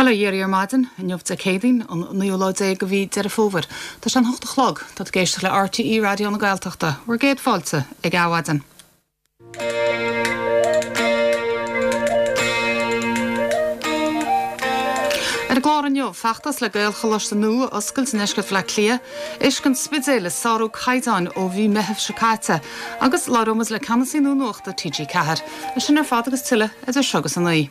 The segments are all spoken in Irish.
Bail ó Dhia oraibh ar maidin, inniu Dé Céadaoin, an naoú lá déag de mhí Deireadh Fómhair. Tá sé an hocht a chlog. Tá tú ag éisteacht le RTÉ Raidió na Gaeltachta. Bhur gcéad fáilte ag Adhmhaidin. Ar an gclár inniu, feachtas le Gaelcholáiste nua a oscailt i ndeisceart Bhaile Átha Cliath, uisce an Spidéil ag sárú caighdeáin ó mhí Meithimh seo caite, agus labhróidh muid le ceannasaí nua nuachta TG4. É sin ar fad agus tuilleadh idir seo agus a naoi.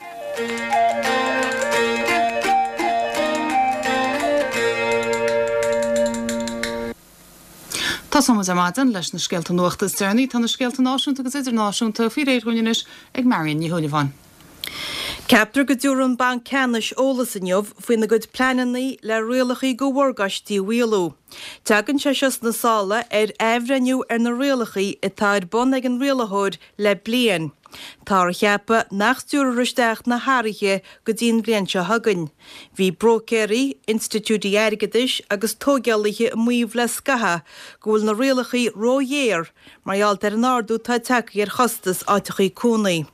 Tosóidh muid ar maidin leis na scéalta nuachta is deireanaí. Tá na scéalta náisiúnta agus idirnáisiúnta faoi réir dhúinn anois ag Marion Ní Shúilleabháin. Ceaptar go dtabharfaidh an Banc Ceannais eolas inniu faoina gcuid pleananna le rialacha do mhorgáistí a mhaolú. Tagann sé seo sna sála ar athbhreithniú ar na rialacha atá ar bun ag an rialaitheoir le bliain. Táthar a cheapadh nach stiúrfar isteach na hathruithe go dtí an bhliain seo chugainn. Bhí bróicéirí, institiúidí airgeadais agus tóigeálaithe ag maíomh le scaitheamh go bhfuil na rialacha róghéar mar gheall ar an ardú atá tagtha ar chostas áiteachaí cónaí.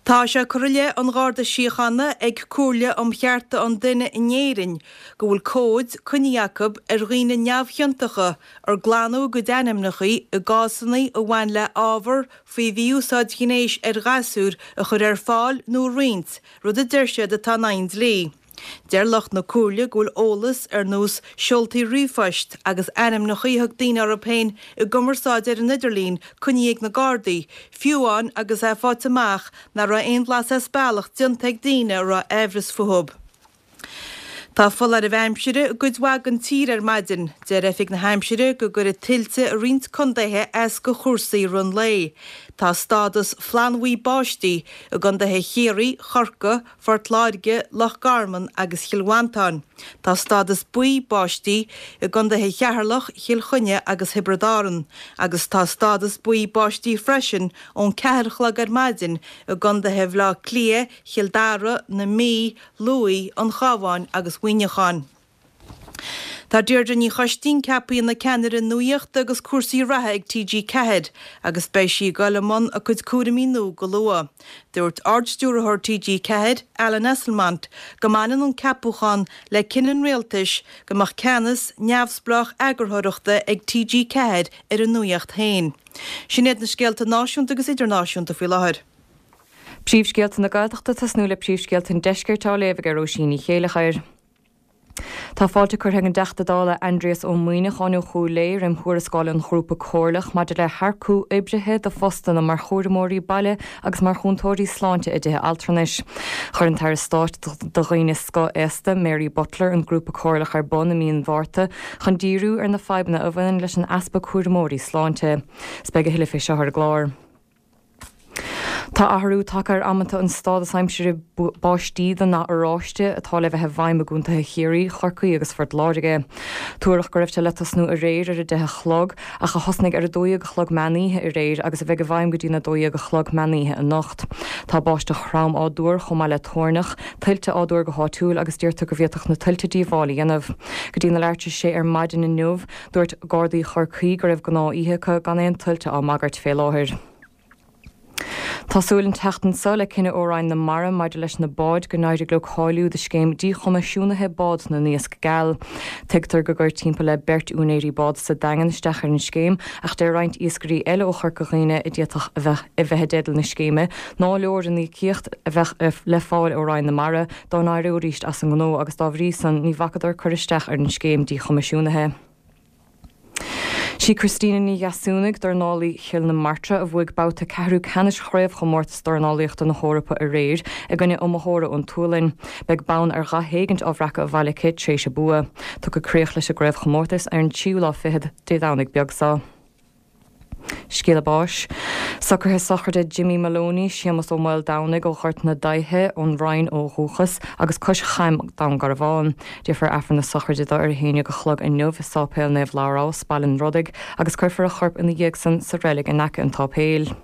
Tá sé curtha i leith an Gharda Síochána ag Comhairle um Chearta an Duine in Éirinn go bhfuil comhaid coinnithe acu ar dhaoine neamhchiontacha ar glanadh a gcuid ainmneacha i gcásanna a bhain le ábhar faoi mhí-úsáid ghnéis ar ghasúir a chur ar fáil nó a roinnt, rud a deir siad atá in aghaidh an dlí. Deir lucht na Comhairle go bhfuil eolas ar nós seoltaí ríomhphoist agus ainmneacha a thug daoine orthu féin i gcumarsáid ar an idirlíon coinnithe ag na Gardaí, fiú amháin agus é faighte amach nach raibh aon bhlas as bealach déanta ag daoine a raibh aimhreas fúthu. Tá foláirimh aimsire i gcuid mhaith den tír ar maidin. Deir Oifig na hAimsire go gcuirfidh tuilte i roinnt contaetha as do chúrsaí i rith an lae. Tá stádas flannbhuí báistí i gcontaetha Chiarraí, Chorcaí, Phort Láirge, Loch Garman agus Chill Mhantáin. Tá stádas buí báistí i gcontaetha Cheatharlach, Chill Chainnigh agus Thiobraid Árann agus tá stádas buí báistí freisin ón 4 a chlog ar maidin i gcontaetha Bhaile Átha Cliath, Chill Dara, na Mí, Lú, an Chabháin agus Mhuineacháin. Tá Deirdre Ní Choistín ceaptha ina ceannaire nuachta agus cúrsaí reatha ag TG4 agus beidh sí ag dul i mbun a cuid cúraimí nua go luath. Dúirt Ard-Stiúrthóir TG4, Alan Esslemont, go mbaineann an ceapúchán le cinneadh an Rialtais go mbeadh ceannas neamhspleách eagarthóireachta ag TG4 ar an nuacht féin. Sin iad na scéalta náisiúnta agus idirnáisiúnta faoi láthair. Príomhscéalta na Gaeltachta tosnú le príomhscéalta an Deiscirt á léamh ag Róisín Ní Chéileachair. Tá fáilte curtha ag an dTeachta Dála Aindrias Ó Muimhneacháin ó Chúil Aodha roim thuarascáil an Ghrúpa Comhairleach maidir le hearcú oibrithe do phostanna mar chúramóirí baile agus mar chúntóirí sláinte i dtithe altranais. Chuir an tAire Stáit do Dhaoine Scothaosta, Mary Butler, an Grúpa Comhairleach ar bun i mí an Mhárta chun díriú ar na fadhbanna a bhaineann leis an easpa cúramóirí sláinte. 'S beidh a thuilleadh fé seo ar an gclár. Tá athrú tagtha ar amanta an stádas aimsire báistí den ndath oráiste atá le bheith i bhfeidhm i gcontaetha Chiarraí, Chorcaí agus Phort Láirge. Tuaradh go raibh sé le tosnú aréir ar 10 a chlog ach a thosnaigh ar 12 a chlog meánoíche aréir agus a bheidh i bhfeidhm go dtí'n 12 a chlog meánoíche anocht. Tá báisteach throm á dtuar chomh maith le toirneach, tuilte á dtuar go háitiúil agus deirtear go bhféadfadh na tuilte díobháil a dhéanamh. Go dtí na leathuair tar éis a sé ar maidin inniu, Dúirt Gardaí Chorcaí go raibh gnáth-oíche acu gan aon tuilte á mbagairt fé láthair. Tá súil an tseachtain seo le cinneadh ó Roinn na Mara maidir leis na báid go n-éirigh leo cáiliú do scéim díchoimisiúnaithe bád na n-iasc geal. Tuigtear gur chuir timpeall le beirt úinéirí bád sa Daingean isteach ar an scéim ach deir roinnt iascairí eile ó Chorca Dhuibhne a d'fhéadfadh a bheith a bheith i dteideal na scéime nár leor an íocaíocht a bheadh le fáil ó Roinn na Mara dá n-éireoidís as an ngnó agus dá bhrí san ní bhacadar cur isteach ar an scéim díchoimisiúnaithe. Sí Christina Ní Dheasúnaigh, dornálaí Chill na Martra, a bhuaigh babhta ceathrú ceannais Chraobhchomórtas Dornálaíochta na hEorpa aréir i gcoinne iomaitheora ón tSualainn. Beidh bonn ar dhath éigint á bhreacadh abhaile aici tréis a bua. Tiocfaidh críoch leis an gcraobhchomórtas ar an tríú lá fichead Dé Domhnaigh beag seo. Scéala báis. Socruithe sochraide Jimmy Moloney, Séamus Ó Maoldomhnaigh ó Ghort na Daighthe, ón Rinn ó dhúchas, agus Cois Chaim, Dún Garbhán. Déarfar Aifreann na sochraide dó ar a haon dhéag a chlog inniu i Sáipéal Naomh Labhrás, Baile an Rodaigh, agus cuirfear a chorp ina dhiaidh san sa reilig in aice an tsáipéil.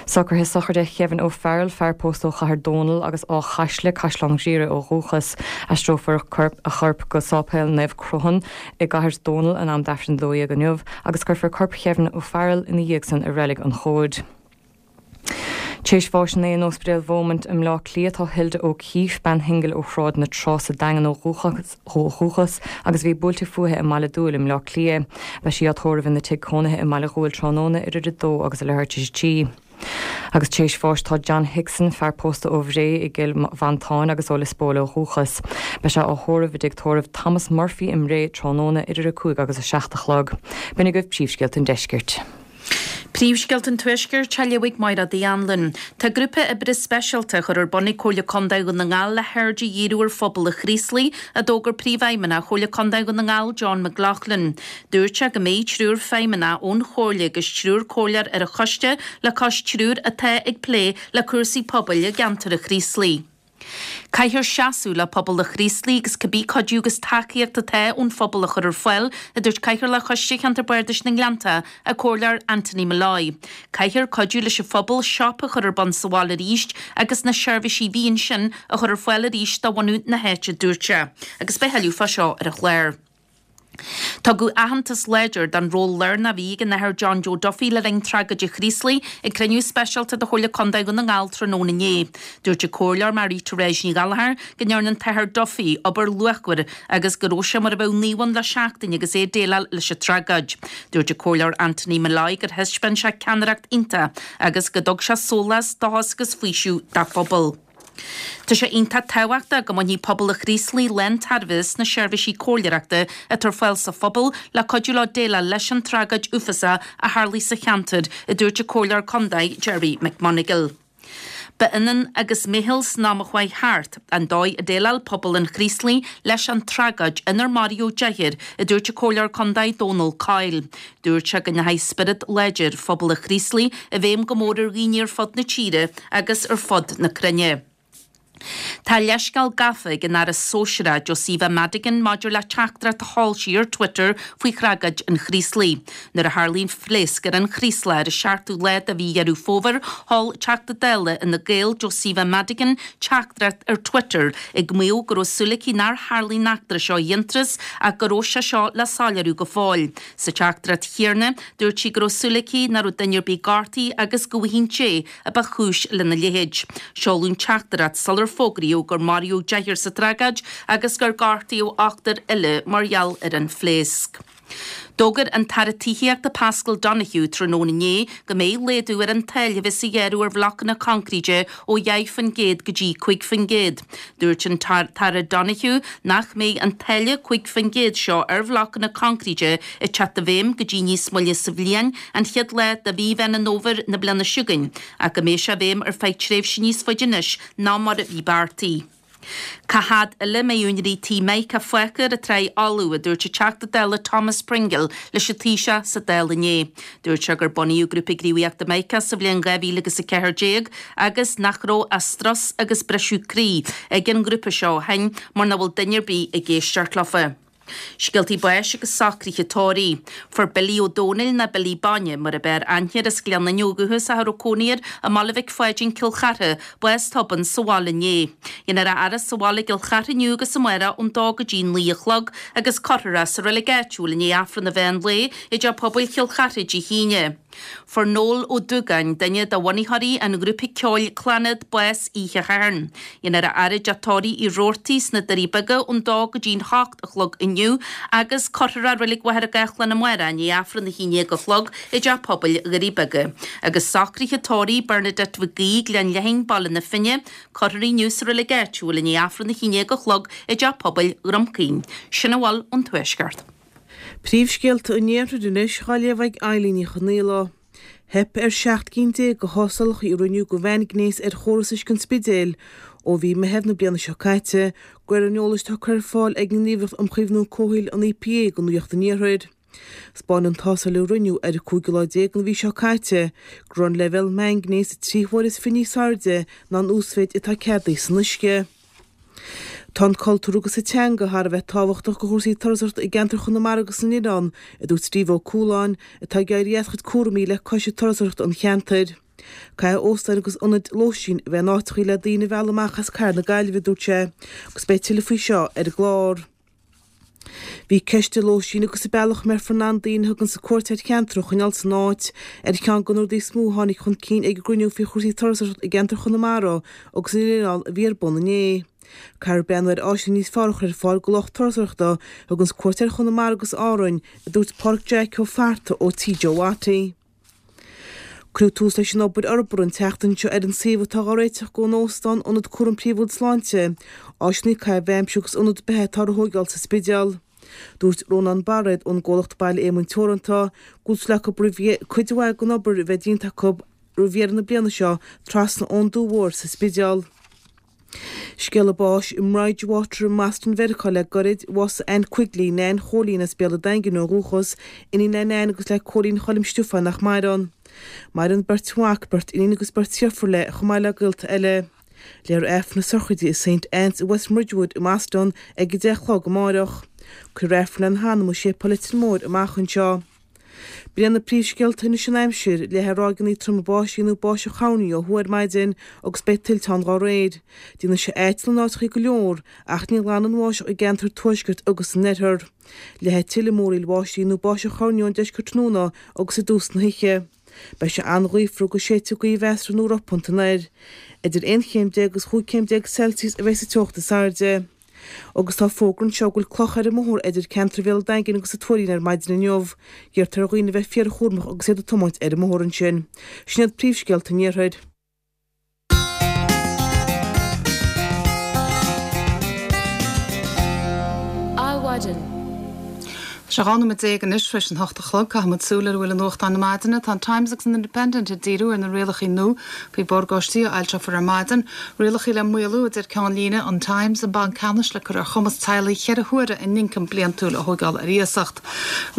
Socruithe sochraide Kevin O'Farrell, fear pósta ó Chathair Dónall agus Áth Chaisle, Caisleán Ghriaire ó dhúchas. Aistreofar a chorp go Sáipéal Naomh Cruthan i gCathair Dónall in am d'Aifreann a 12 inniu agus cuirfear corp Kevin O'Farrell ina dhiaidh san i Reilig an Chomhaid. Tar éis bháis inné in Ospidéal Beaumont i mBleá Cliath tá Hilda O'Keefe, bean shingil ó Shráid na Trá sa Daingean ó dhúchas agus a bhí buailte fúithi i mBaile Dúill i mBleá Cliath. Beidh sí á tórramh ina tigh cónaithe i mBaile Dhúill tráthnóna idir a dó agus a leathuair tar éis a trí. Agus tar éis bháis tá John Hickson, fear pósta ó Bhré i gCill Mhantáin agus ó Lios Póil ó dhúchas. Beidh sé á thórramh i dtigh tórraimh Thomas Murphy i mBré tráthnóna idir 5 agus 7 a chlog. B'in agaibh príomhscéalta an deiscirt. Príomhscéalta an Tuaiscirt á léamh ag Máire Uí Anluain. Tá grúpa oibre speisialta á chur ar bun ag Comhairle Contae Dhún na nGall le haird a dhíriú ar phobal an Chraoslaigh, a d'fhógair Príomhfheidhmeannach Chomhairle Contae Dhún na nGall John McLaughlin. Dúirt sé go mbeidh triúr feidhmeannach ón Chomhairle agus triúr comhairleoir ar an choiste le cois triúr atá ag plé le cúrsaí pobail i gceantar an Chraoslaigh. Caithfear seasamh le pobal an Chraoslaigh agus cibé cuidiú agus tacaíocht atá ón phobal a chur ar fáil, a dúirt Cathaoirleach Choiste Cheantar Bardais na nGleannta, an Comhairleoir Anthony Molloy. Caithfear cuidiú leis an phobal siopa a chur ar bun sa bhaile arís agus na seirbhísí a bhí ansin a chur ar fáil arís do bhunadh na háite, a dúirt sé. Agus beidh tuilleadh fá seo ar an chlár. Tugadh aitheantas láidir don ról lárnach a bhí ag an Athair John Joe Duffy le linn tragóid an Chraoslaigh ag cruinniú speisialta de Chomhairle Contae Dhún na nGall tráthnóna inné. Dúirt an Comhairleoir Marie Therese Ní Ghallchóir go ndearna an tAthair Duffy obair luachmhar agus go raibh sé mar a bheadh naomh ann le seachtain agus é ag déileáil leis an tragóid. Dúirt an Comhairleoir Anthony Molloy gur thaispeáin sé ceannaireacht iontach agus go dtug sé sólás, dóchas agus faoiseamh dá phobal. Tá sé iontach tábhachtach go mbainfidh pobal an Chraoslaigh lántairbhe as na seirbhísí comhairleoireachta atá ar fáil sa phobal le cuidiú leo déileáil leis an tragóid uafásach a tharlaigh sa cheantar, a dúirt an Comhairleoir Contae Gerry McMonagall. Ba ionann agus meitheal san am a chuaigh thart, an dóigh a déileáil pobal an Chraoslaigh leis an tragóid inar maraíodh deichniúr, a dúirt an Comhairleoir Contae Dónal Coyle. Dúirt sé go ndeachaigh spiorad láidir phobal an Chraoslaigh i bhfeidhm go mór ar dhaoine ar fud na tíre agus ar fud na cruinne. Tá leithscéal gafa ag an Aire Sóisearach Josepha Madigan maidir le teachtaireacht a sheol sí ar Twitter faoi thragóid an Chraoslaigh. Nuair a tharlaigh an phléasc ar an Chraoslach ar an seachtú lá de mhí Dheireadh Fómhair, sheol Teachta Dála Fhine Gael Josepha Madigan teachtaireacht ar Twitter ag maíomh go raibh súil aici nár tharlaigh an eachtra seo i bhfianntras ach go raibh sé seo le soiléiriú go fóill. Sa teachtaireacht chéanna, dúirt sí go raibh súil aici nach raibh duine ar bith gortaithe agus go bhfaighidh an té a ba chúis lena leithéid. Seoladh an teachtaireacht sular fógraíodh gur maraíodh deichniúr sa tragóid agus gur gortaíodh ochtar eile mar gheall ar an phléasc. D'fhógair an tAire Tithíochta Paschal Donohoe tráthnóna inné go mbeidh laghdú ar an táille a bheas á ghearradh ar bhlocanna coincréite ó 10% go dtí 5%. Dúirt an tAire Donohoe nach mbeidh an táille 5% seo ar bhlocanna coincréite ag teacht i bhfeidhm go dtí níos moille sa bhliain, an chéad lá de mhí Mheán an Fhómhair na bliana seo chugainn, ach go mbeidh sé i bhfeidhm ar feadh tréimhse níos faide anois ná mar a bhí beartaithe. Cá fhad eile a mbeidh úinéirí tí Mica fágtha ar an tráigh fholamh, a dúirt an Teachta Dála Thomas Pringle leis an Taoiseach sa Dáil inné. Dúirt sé gur bunaíodh Grúpa Gníomhaíochta Mica sa bhliain 2014 agus nach raibh ach strus agus briseadh croí ag an ngrúpa seo ó shin mar nach bhfuil duine ar bith ag éisteacht leofa. Scéaltaí báis agus socruithe tórraimh. Fuair Billy Ó Dónaill nó Billy Bainne, mar ab fhearr aithne air as Gleann Fhinne ó dhúchas ach a raibh cónaí air i mBaile Mhic Pháidín, Cill Chartha, bás tobann sa bhaile inné. Dhéanfar a fhaire sa bhaile i gCill Chartha inniu agus amárach ón dó go dtí 9 a chlog agus cuirfear é sa reilig áitiúil i ndiaidh Aifreann an mheán lae i dTeach Pobail Chill Chartha Dé hAoine. Fuair Noel Ó Dúgáin, duine de bhunaitheoirí an ghrúpa ceoil Clannad, bás oíche Shathairn. Dhéanfar a fhaire i dTeach Tórraimh Uí Robhartaigh sna Doirí Beaga ón dó go dtí'n hocht a chlog inniu agus cuirfear é i Reilig Mhachaire Gathlán amárach i ndiaidh Aifreann a haon déag a chlog i dTeach Pobail Dhoirí Beaga. Agus socruithe tórraimh Bernadette Mhic Aoidh, Gleann Leathain, Baile na Finne, cuirfear í inniu sa reilig áitiúil i ndiaidh Aifreann a haon déag a chlog i dTeach Pobail Dhrom Caoin. Sin a bhfuil ón Tuaisceart. Príomhscéalta an Iarthair anois á léamh ag Eilín Ní Chonaola. Theip ar 17 gcinn de thástálacha a rinneadh do mhaingnéas ar chóras uisce an Spidéil ó mhí Meitheamh na bliana seo caite, de réir an eolais atá curtha ar fáil ag an nGníomhaireacht um Chaomhnú Comhshaoil, an EPA, do Nuacht an Iarthair. 'Spáin an tástáil a rinneadh ar an cúigiú lá déag den mhí seo caite go raibh an leibhéal maingnéis trí huaire is fiche níos airde ná an uasmhéid atá ceadaithe san uisce. Tá an cultúr agus an teanga thar a bheith tábhachtach do chúrsaí turasóireachta i gceantar Chonamara agus na nOileán, a dúirt Steve Ó Cualáin, atá ag éirí as a chuid cúraimí le Coiste Turasóireachta an cheantair. Caithfidh óstáin agus ionaid lóistín a bheith in áiteachaí le daoine a mhealladh amach as cathair na Gaillimhe, a dúirt sé, agus beidh tuilleadh faoi seo ar an gclár. Bhí ceist an lóistín agus an bealach a mbeifear in ann daoine a thuganns cuairt ar cheantar a choinneáil san áit ar cheann de na rudaí is mó a tháinig chun cinn ag an gcruinniú faoi chúrsaí turasóireachta i gceantar Chonamara agus an oileán a bhí ar bun inné. Caithfear breathnú ar áiseanna níos fearr a chur ar fáil do lucht turasóireachta a thuganns cuairt ar Chonamara agus Árainn, a dúirt Pádraic Jeaic Ó Fatharta ó TJ Watty. Cuireadh tús leis an obair fhorbartha an tseachtain seo ar an suíomh atá á réiteach don óstán, ionad cúraim príomhúil sláinte, áiseanna caitheamh aimsire agus ionad beatha atá á thóigeáil sa Spidéal. Dúirt Rónán Bairéad ón gcomhlacht Baile Éamoinn Teoranta go bhfuil súil acu roimh cuid mhaith den obair a bheith déanta acu roimh dheireadh na bliana seo trasna ón Dumha Mhór sa Spidéal. Scéala báis i mBridgewater i mBoston Mheiriceá le gairid, bhásaigh Ann Quigley, Nan Chóilín as Béal an Daingin ó dhúchas, iníon le Nan agus le Cóilín Choilm Stiofáin nach maireann. Maireann beirt mhac, beirt iníon agus beirt dheirfiúr léi, chomh maith le gaolta eile. Léifear Aifreann na sochraide i Saint Anne's i West Ridgewood i mBoston ag 10 a chlog amáireach. Cuirfear Aifreann lena hanam i Séipéal Leitir Móir amach anseo. B'in iad na príomhscéalta anois an aimsir, leathfaidh ráigeanna troma báistí nó báisteach thoirní ó thuaidh ar maidin agus beidh tuilte ann dá réir. Déanfaidh sé aiteal in áiteachaí go leor ach ní ghlanfaidh an bháisteach i gceantar tuaiscirt agus san oirthear. Leathfaidh tuilleadh múraíl bháistí nó báisteach thoirní ón deisceart tráthnóna agus i dtús na hoíche. Beidh sé an-ghaofar agus séidfidh gaoth mheasartha nó ropánta anoir. Idir 11 chéim agus 15 chéim Celsius a bheidh sa teocht is airde. Agus tá fógra anseo go bhfuil clocha ar an mbóthar idir ceantar Bhéal an Daingin agus an Tuairín ar maidin inniu. Iarrtar ar dhaoine a bheith fíorchúramach agus iad ag tiomáint ar an mbóthar ansin. Sin iad príomhscéalta an iarthair. Adhmhaidin. Tá sé 12 nóiméad anois tar éis an hocht a chlog. Caithfidh muid súil ar a bhfuil i nuachtáin na maidine. Tá an Times agus an Independent ag díriú ar na rialacha nua faoi mhorgáistí a fhoilseofar ar maidin. Rialacha le maolú, a deir ceannlíne an Times, an Banc Ceannais le cur ar chumas teaghlaigh cheithre huaire a n-ioncam bliantúil a thóigeáil ar iasacht.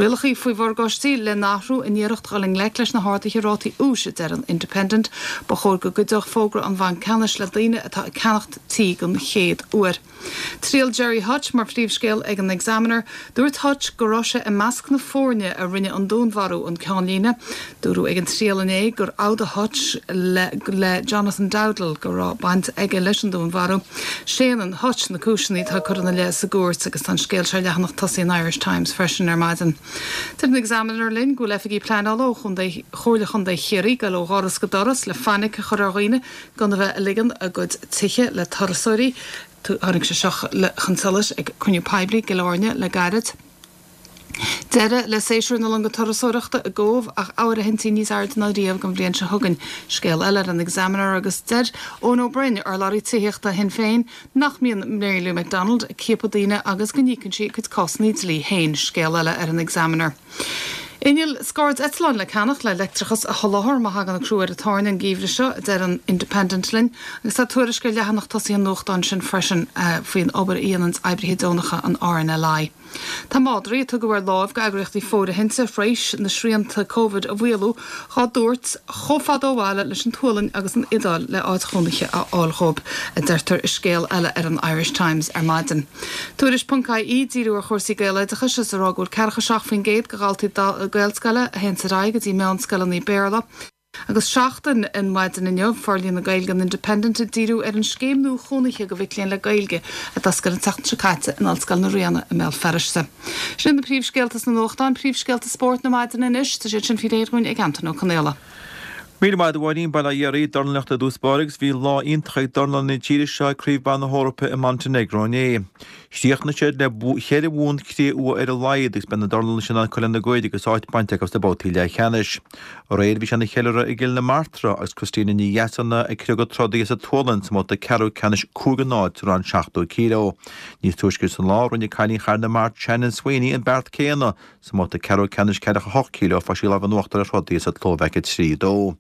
Rialacha faoi mhorgáistí le n-athrú in iarracht dhul i ngleic leis na harduithe rátaí úis, a deir an Independent. Ba chóir go gcuideodh fógra an Bhainc Ceannais le daoine atá ag ceannacht tí den chéad uair. Triail Gerry Hutch mar phríomhscéal ag an Examiner. Dúirt Hutch go raibh sé i measc na foirne a rinne an dúnmharú, an ceannlíne. Dúradh ag an triail inné gur fhód Hutch le le Jonathan Dowdall go raibh baint aige leis an dúnmharú. Séanann Hutch na cúiseanna atá curtha ina leith sa gcúirt agus tá an scéal seo ar leathanach tosaigh an Irish Times freisin ar maidin. Deir an Examiner linn go bhfuil oifigigh pleanála ó chontae Chomhairle Chontae Chiarraí ag dul ó dhoras go doras le fainic a chur ar dhaoine gan a bheith ag ligean a gcuid tithe le turasóirí. Tháinig sé seo chun solais ag cruinniú poiblí i gCill Airne le gairid. Deireadh le séasúr na longa turasóireachta i gCóbh ach áirithintí níos airde ná riamh don bhliain seo chugainn. Scéal eile ar an Examiner agus deir Eoin Ó Broin, urlabhraí tithíochta Shinn Féin, nach mbíonn Mary Lou McDonald ag ciapadh daoine agus go n-íocann sí a cuid cásanna dlí féin. Scéal eile ar an Examiner. Inneall scairdeitleáin le ceannach le leictreachas a sholáthar má thagann crú ar an tairne an geimhreadh seo, a deir an Independent linn. Agus tá tuairisc ar leathanach tosaigh an nuachtáin sin freisin faoin obair a dhéananns oibrithe deonacha an RNLI. Tá madraí a tugadh ar láimh go eagraíochtaí fóirithinte thréis na srianta Covid a mhaolú dhá dtabhairt chomh fada ó bhaile leis an tSualainn agus an Iodáil le áit chónaithe a fháil dhóibh, a deirtear i scéal eile ar an Irish Times ar maidin. Tuairisc ponc IE, díriú ar chúrsaí Gaeloideachais is a rá go bhfuil ceathracha 7% de dhaltaí Gaelscoile a théanns ar aghaidh go dtí meánscoileanna Béarla. Agus Seachtain an mhaidin inniu, Forlíonadh Gaeilge an Independent ag díriú ar an scéim nua chónaithe do mhic léinn le Gaeilge a d'oscail an tseachtain seo caite in Ollscoil na Ríona i mBéal Feirste. Sin iad na príomhscéalta sna nuachtáin. Príomhscéalta spóirt na maidine anois, tá siad sin faoi réir dhúinn ag Antain Ó Conaola. Míle maith agat a Mháirín, bail ó Dhia oraibh, dornálaíocht i dtús báire agus bhí lá iontach ag dornálaithe na tíre seo ag Craobh Ban na hEorpa i Montenegro inné. Chríochnaigh siad le cheithre bhua cré-umha ar a laghad agus beidh na dornálaithe sin in ann cur lena gcuid agus áit bainte acu sna babhtaí leathcheannais. Aréir bhí sé ina cheiliúradh i gCill na Martra agus Christina Ní Dheasúna ag criogadh trodaí as an tSualainn sa mbabhta ceathrú ceannais 5-0 sa rang 70 kg. Níos túisce sa lá rinne cailín Chathair na Mart Shannon Sweeney an beart céanna Sa mbabhta ceathrú ceannais 48 kg fuair sí lámh in uachtar ar throdaí as an tSlóvaic 3, 2.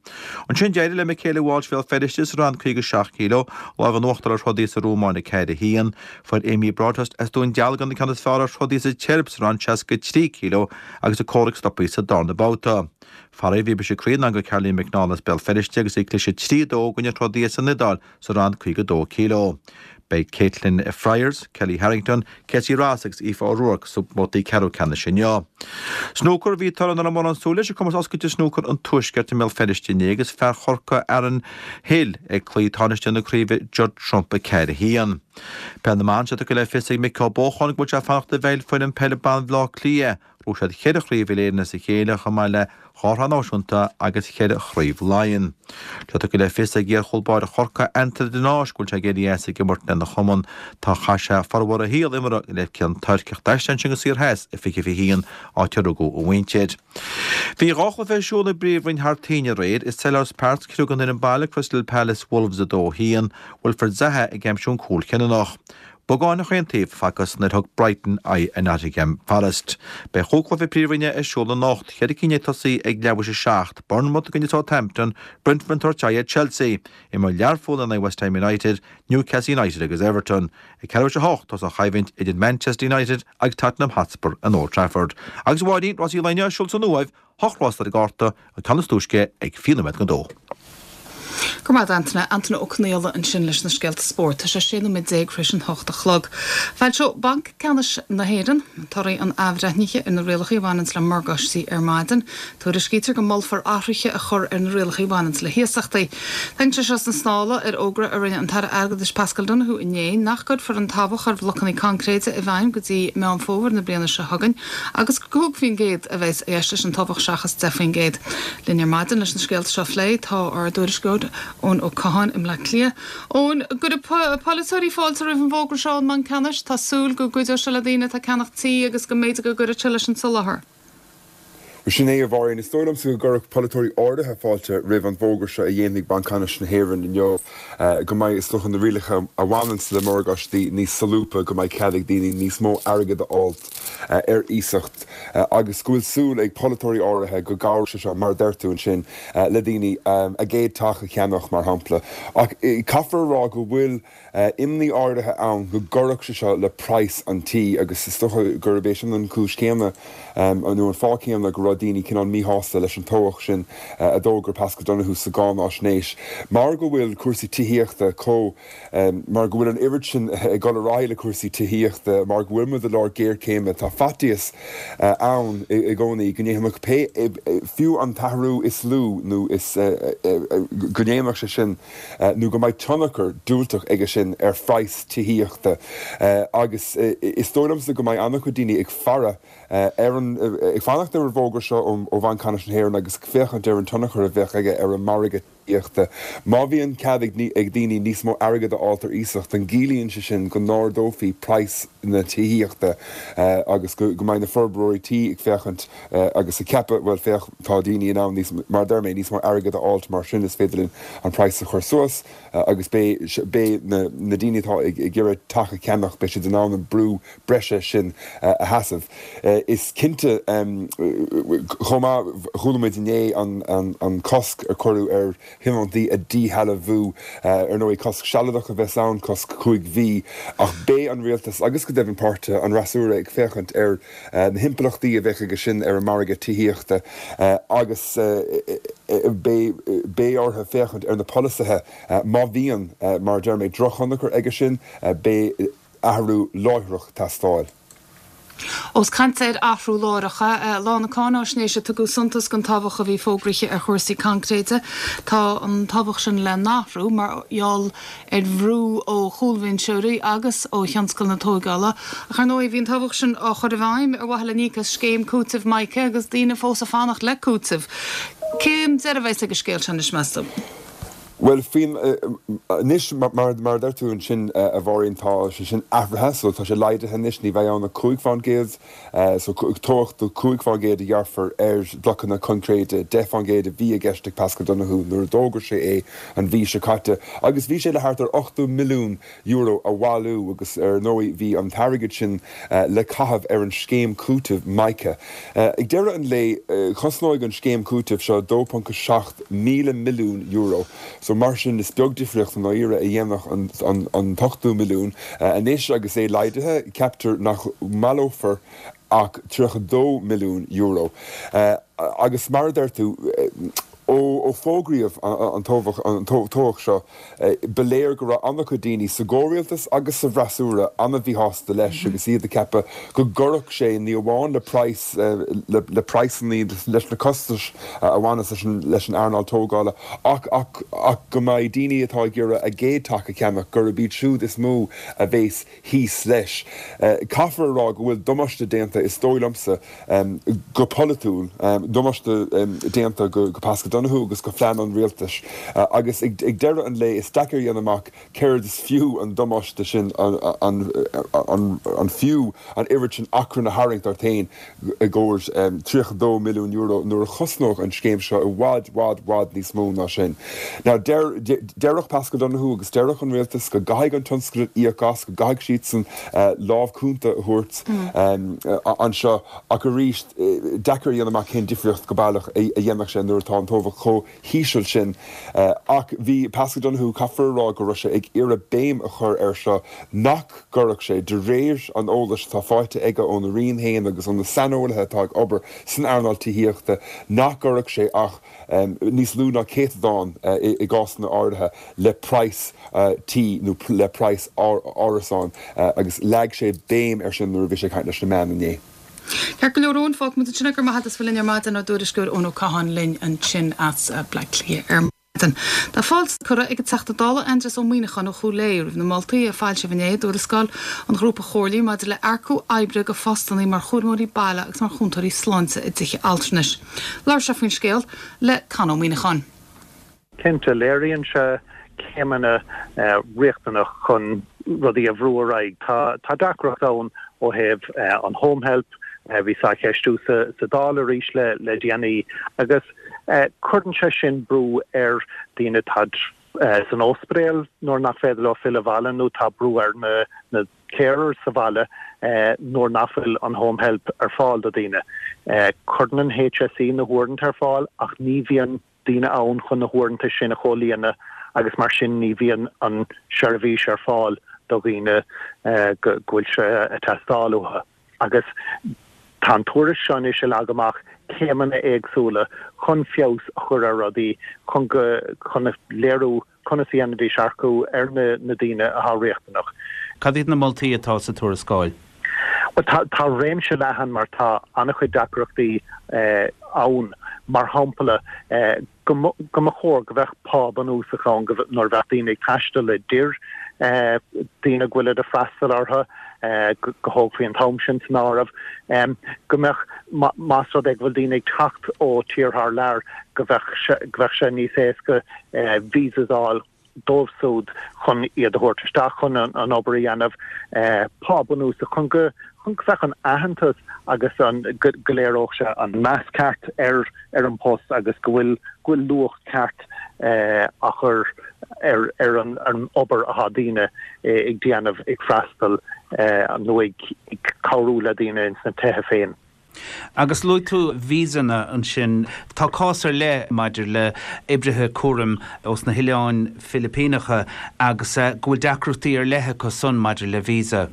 Ansin d'éirigh le Michaela Walsh Bhéal Feirste sa rang 57 kg lámh in uachtar ar throdaí as an Rómáin 4, 1. Fuair Amy Broadhurst as Dún Dealgan an ceann is fearr ar throdaí as an tSeirb sa rang 63 kg agus a comhrac stoptha sa darna babhta. Faraor bhí briseadh croí i ndán do Caroline McNall as Béal Feirste agus í ag cliseadh 3, 2 i gcoinne throdaí as an Iodáil sa rang 52 kg. Beidh Caitlin Fryers, Kellie Harrington, Casey Ross agus Aoife O'Rourke sna babhtaí ceathrú ceannais inniu. Snúcar Bhí toradh nach raibh mórán súil leis ag Comórtas Oscailte Snúcar an Tuaiscirt i mBéal Feirste inné agus fear Chorcaí Aaron Hill ag cloí tánaiste na craoibhe Judd Trump 4, 1. Peil na mBan Tá sé tugtha le fios ag Mick Ó Bócháin go bhfuil sé ag fanacht i bhfeighil foireann peile ban Bhaile Átha Cliath. Bhuaigh siad cheithre chraobh uile-Éireann as a chéile chomh maith le dhá shraith náisiúnta agus cheithre chraobh Laighean. Tá tugtha le fios ag iar-chúl báire Chorcaí, Antaine de Náis, go bhfuil sé ag éirí as ag imirt lena chumann. Tá chaith sé formhór a shaol imeartha le Ceann Toirc ach d'aistrigh ansin go Saor Theas i 2021, áit ar rugadh a mhuintir. Bhí dhá chluiche ar siúl i bPríomhroinn thar toinn aréir. I Selhurst Park, scrios an fhoireann baile Crystal Palace Wolves 2, 1, Wilfried Zaha ag aimsiú an cúl cinniúnach. Beagán chaon taobh facthas nuair thug Brighton aghaidh ar Nottingham Forest. Beidh chúig chluiche Príomhroinne ar siúl anocht, cheithre cinn ag tosaí ag leathuair théis a 7, Bournemouth i gcoinne Southampton, Brentford ag tabhairt aghaidh ar Chelsea, imreoidh Learpholl in aghaidh West Ham United, Newcastle United agus Everton. Ag ceathrú théis a hocht, tosóidh an choimhlint idir Manchester United agus Tottenham Hotspur in Old Trafford. Agus a Mháirín, rásaí an lae inniu ar siúl san Uaimh, Hocht rás ar an gcárta, an ceann is túisce ag 20 nóiméad don dó. Go raibh maith agat Antaine. Antaine Ó Conaola ansin leis na scéalta spóirt. Tá sé 16 nóiméad tar éis an hocht a chlog. Foilseoidh Banc Ceannais na hÉireann torthaí an athbhreithnithe ar na rialacha a bhaineanns le morgáistí ar maidin. Tuairiscítear go molfar athruithe a chur ar na rialacha a bhaineanns le hiasachtaí. Tagann sé seo sna sála ar fhógra a rinne an tAire Airgeadais Paschal Donohoe inné nach gcuirfear an tobhach ar bhlocanna coincréide i bhfeidhm go dtí Meán Fómhair na bliana seo chugainn agus gur 5% a bheas i gceist leis an tobhach seachas 10%. Linn ar maidin leis na scéalta seo a phlé tá ár dtuairisceoir Eoin Ó Catháin i mBleá Cliath. Eoin, gcuirfidh polaiteoirí fáilte roimh an bhfógra seo ón mBanc Ceannais? Tá súil go gcuideoidh sé le daoine atá ag ceannach tí agus go mb'fhéidir go gcuirfidh sé leis an soláthar. Sin é, a Mháirín. Is dóigh liomsa go gcuirfeadh polaiteoirí áirithe fáilte roimh an bhfógra seo a dhéanfaidh Banc Ceannais na hÉireann inniu, go mbeidh, is dócha, na rialacha a bhaineanns le morgáistí níos solúbtha, go mbeidh cead ag daoine níos mó airgid a fháilt ar iasacht agus go bhfuil súil ag polaiteoirí áirithe go gcabhróidh sé seo, mar a deir tú ansin, le daoine a gcéad teach a cheannach, mar shampla. Ach caithfear a rá go bhfuil. imní áirithe ann go gcuirfeadh sé seo le praghas an tí agus is dócha gurb é sin an chúis chéanna nó an fáth céanna go raibh daoine cineál míshásta leis an tobhach sin a d'fhógair Paschal Donohoe sa gcáináisnéis. Mar go bhfuil cúrsaí tithíochta chomh, mar go bhfuil an oiread sin ag dul ar aghaidh le cúrsaí tithíochta, mar go bhfuil muid i lár géarchéime, tá faitíos ann i gcónaí go ndéanfadh pé, fiú an t-athrú is lú nó is, go ndéanfadh sé sin. nó go mbeidh tionchar diúltach aige sin ar phraghas tithíochta agus is dóigh liomsa go mbeidh an-chuid daoine ag faire ar an, ag fanacht ar an bhfógra seo ó Bhanc Ceannais na hÉireann agus ag féachaint ar an tionchar a bheadh aige ar an margadh tithíochta. Má bhíonn cead ag daoine níos mó airgid a fháilt ar iasacht, an gciallaíonn sé sin go n-ardófaí praghas na tithíochta agus go mbeidh na forbróirí tí ag féachaint agus ag ceapadh, bhuel, féach, tá daoine in ann níos, mar a deir mé, níos mó airgid a fháilt mar sin is féidir linn an praghas a chur suas agus beidh, beidh na, na daoine atá ag, ag iarraidh teach a cheannach, beidh siad in ann an brú breise sin a sheasamh. Is cinnte, chomh maith, chuala muid inné an, an, an cosc a cuireadh ar thionóntaí a dhíshealbhú. Ar ndóigh, cosc sealadach a bheas ann, cosc chúig mhí, ach beidh an rialtas agus go deimhin páirtithe an fhreasúra ag féachaint ar na himpleachtaí a bheadh aige sin ar an margadh tithíochta agus beidh orthu féachaint ar na polasaithe má bhíonn, mar a deir mé, drochthionchar aige sin, beidh athrú láithreach ag teastáil. Ós caint ar athrú láithreach, lá na cáináisnéise tugadh suntas don tobhach a bhí fógraithe ar chúrsaí coincréide. Tá an tobhach sin le n-athrú mar gheall ar bhrú ó chúlbhinseoirí agus ó thionscal na tóigeála. Ach ar ndóigh, bhí an tobhach sin á chur i bhfeidhm ar mhaithe le n-íoc as scéim cúitimh Mica agus daoine fós ag fanacht le cúiteamh. Cén deireadh a bheas ag an scéal seo anois, meas tú? Bhuel, faoin, anois, mar a deir tú ansin, a Mháirín, tá sé sin athraithe, so tá sé laghdaithe anois, ní bheidh ann ach 5%, so tobhach de 5% a ghearrfar ar bhlocanna coincréide, 10% a bhí i gceist ag Paschal Donohoe nuair a d'fhógair sé é an mhí seo caite, agus bhí sé le thart ar €80 milliún a bhailiú agus ar ndóigh bhí an t-airgead sin le caitheamh ar an scéim cúitimh Mica. Ag deireadh an lae, cosnóidh an scéim cúitimh seo €2.7 míle milliún so mar sin is beag difríocht i ndáiríre a dhéanfadh an t-ochtó milliún. Anois agus é laghdaithe, ceaptar nach mbaileofar ach €32 milliún. Agus mar a deir tú. Ó fógraíodh an tobhach seo, ba léir go raibh an-chuid daoine sa gcomhrialtas agus sa bhfreasúra an-mhíshásta leis agus iad ag ceapadh go gcuirfeadh sé ní amháin le praghas, le praghsanna, leis na costais a bhaineas leis an earnáil tógála ach ach go mbeidh daoine atá ag iarraidh a gcéad teach a cheannach, gurb iad siúd is mó a bheas thíos leis. Caithfear a rá go bhfuil damáiste déanta, is dóigh liomsa, go polaitiúil, damáiste déanta go Paschal Donohoe agus go phlean an rialtais agus ag deireadh an lae is deacair a dhéanamh amach céard is fiú an damáiste sin, an fiú an oiread sin achrainn a tharraingt ort féin i gcomhair €32 milliún nuair a chosnódh an scéim seo i bhfad, bhfad, bhfad níos mó ná sin. Now deir, déarfadh Paschal Donohoe agus déarfadh an rialtas go gcaithfidh an tionscal íoc as, go gcaithfidh siadsan lámh cúnta a thabhairt anseo ach arís, deacair a dhéanamh amach cén difríocht go baileach a dhéanfadh sé nuair atá an tobhach chomh híseal sin. Ach bhí Paschal Donohoe, caithfear a rá go raibh sé ag iarraidh béim a chur air seo nach gcuirfeadh sé, de réir an eolais atá faighte aige óna Roinn féin agus ó na saineolaithe atá ag obair san earnáil tithíochta, nach gcuirfeadh sé ach níos lú ná céatadán i gcásanna áirithe le praghas tí nó le praghas árasáin agus leag sé béim air sin nuair a bhí sé ag caint leis na meáin inné. Ceart go leor Eoin, fágfaidh muid ansin é, go raibh maith agat as bheith linn ar maidin, ár dtuairisceoir Eoin Ó Catháin linn ansin as Bleá Cliath ar maidin. Tá fáilte curtha ag an Teachta Dála Aindrias Ó Muimhneacháin ó Chúil Aodha roimh na moltaí a foilsíodh inné i dtuarascáil an Ghrúpa Chomhairligh maidir le earcú oibre go phostanna mar chúramóirí baile agus mar chúntóirí sláinte i dtithe altranais. Labhair sé faoin scéal le Con Ó Muimhneacháin. Cinnte, léiríonn sé céimeanna riachtanach chun rudaí a bhrú ar aghaidh. Tá deacracht ann ó thaobh an home help, bhí sé á cheistiú sa Dáil arís le déanaí, agus cuireann sé sin brú ar daoine atá san ospidéal nuair nach féidir leo filleadh abhaile nó tá brú ar na carers sa bhaile nuair nach bhfuil an home help ar fáil do daoine. Cuireann an HSE na huaireanta ar fáil ach ní bhíonn daoine ann chun na huaireanta sin a chomhlíonadh agus mar sin ní bhíonn an seirbhís ar fáil do dhaoine go bhfuil sé ag teastáil uathu. Agus tá an tuairisc seo anois ag leagadh amach céimeanna éagsúla chun feabhas a chur ar rudaí, chun go, chun a léiriú conas a dhéanfaidís earcú ar na daoine atá riachtanach. Cad iad na moltaí atá sa tuarascáil? Bhuel, tá, tá réimse leathan mar tá an-chuid deacrachtaí ann. Mar shampla, go mba, go mba chóir go bheadh pá bunúsach ann go, nuair a bheadh daoine ag taisteal idir daoine go bhfuilid ag freastal orthu, go dtógfaí an t-am sin san áireamh. Go mbeadh, más rud é go bhfuil daoine ag teacht ó tír thar lear, go bheadh sé, go bheadh sé níos éasca visas a fháil dóibh siúd chun iad a thabhairt isteach chun an obair a dhéanamh, pá bunúsach chun go chun go bheadh an aitheantas agus an go go léireodh sé an meas ceart ar ar an post agus go bhfuil go bhfuil luach ceart á chur ar ar an an obair atá daoine ag déanamh ag freastal nó ag ag cabhrú le daoine ins na tithe féin. Agus luaigh tú víosanna ansin. Tá cás ar leith maidir le oibrithe cúraim ós na hOileáin Philipíneacha agus go bhfuil deacrachtaí ar leith acu san maidir le visa.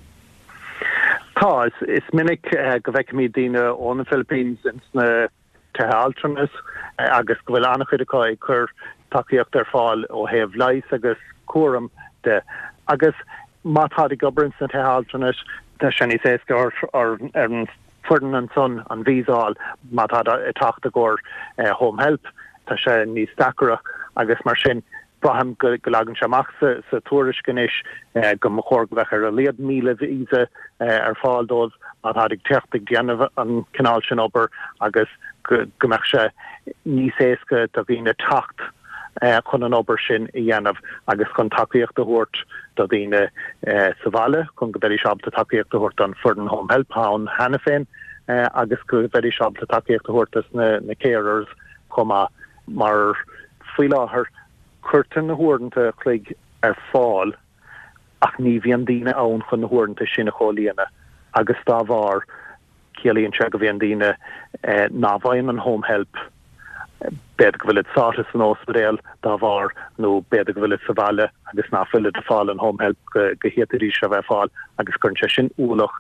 Tá. Is minic go bhfeicimid daoine ó na Philippines ins na tithe altranais agus go bhfuil an-chuid acu ag cur tacaíocht ar fáil ó thaobh leighis agus cúraim de. Agus má táid ag obair ins na tithe altranais, tá sé níos éasca ar an foireann ansan an visa a fháil. Má táid ag teacht i gcomhair home help, tá sé níos deacaire agus mar sin braithim go leagann sé amach sa tuairisc anois go mba chóir go mbeadh ar a laghad 1,000 visa ar fáil dóibh má táid ag teacht ag déanamh an cineál sin obair agus go mbeadh sé níos éasca do dhaoine teacht chun an obair sin a dhéanamh agus chun tacaíocht a thabhairt do dhaoine sa bhaile chun go mbeidís ábalta tacaíocht a thabhairt don foireann Home Help ann cheana féin agus go mbeidís ábalta tacaíocht a thabhairt dos na carers chomh maith mar faoi láthair cuirtear na huaireanta a chloig ar fáil ach ní bhíonn daoine ann chun na huaireanta sin a chomhlíonadh agus dá bharr Ciallaíonn sé go mbíonn daoine ná bhfaigheann an home help, b'fhéidir go bhfuilid sáite san óspidéal dá bharr nó b'fhéidir go bhfuilid sa bhaile agus ná fuilid ag fáil an home help go bhféadfaidís a bheith ag fáil agus cuireann sé sin ualach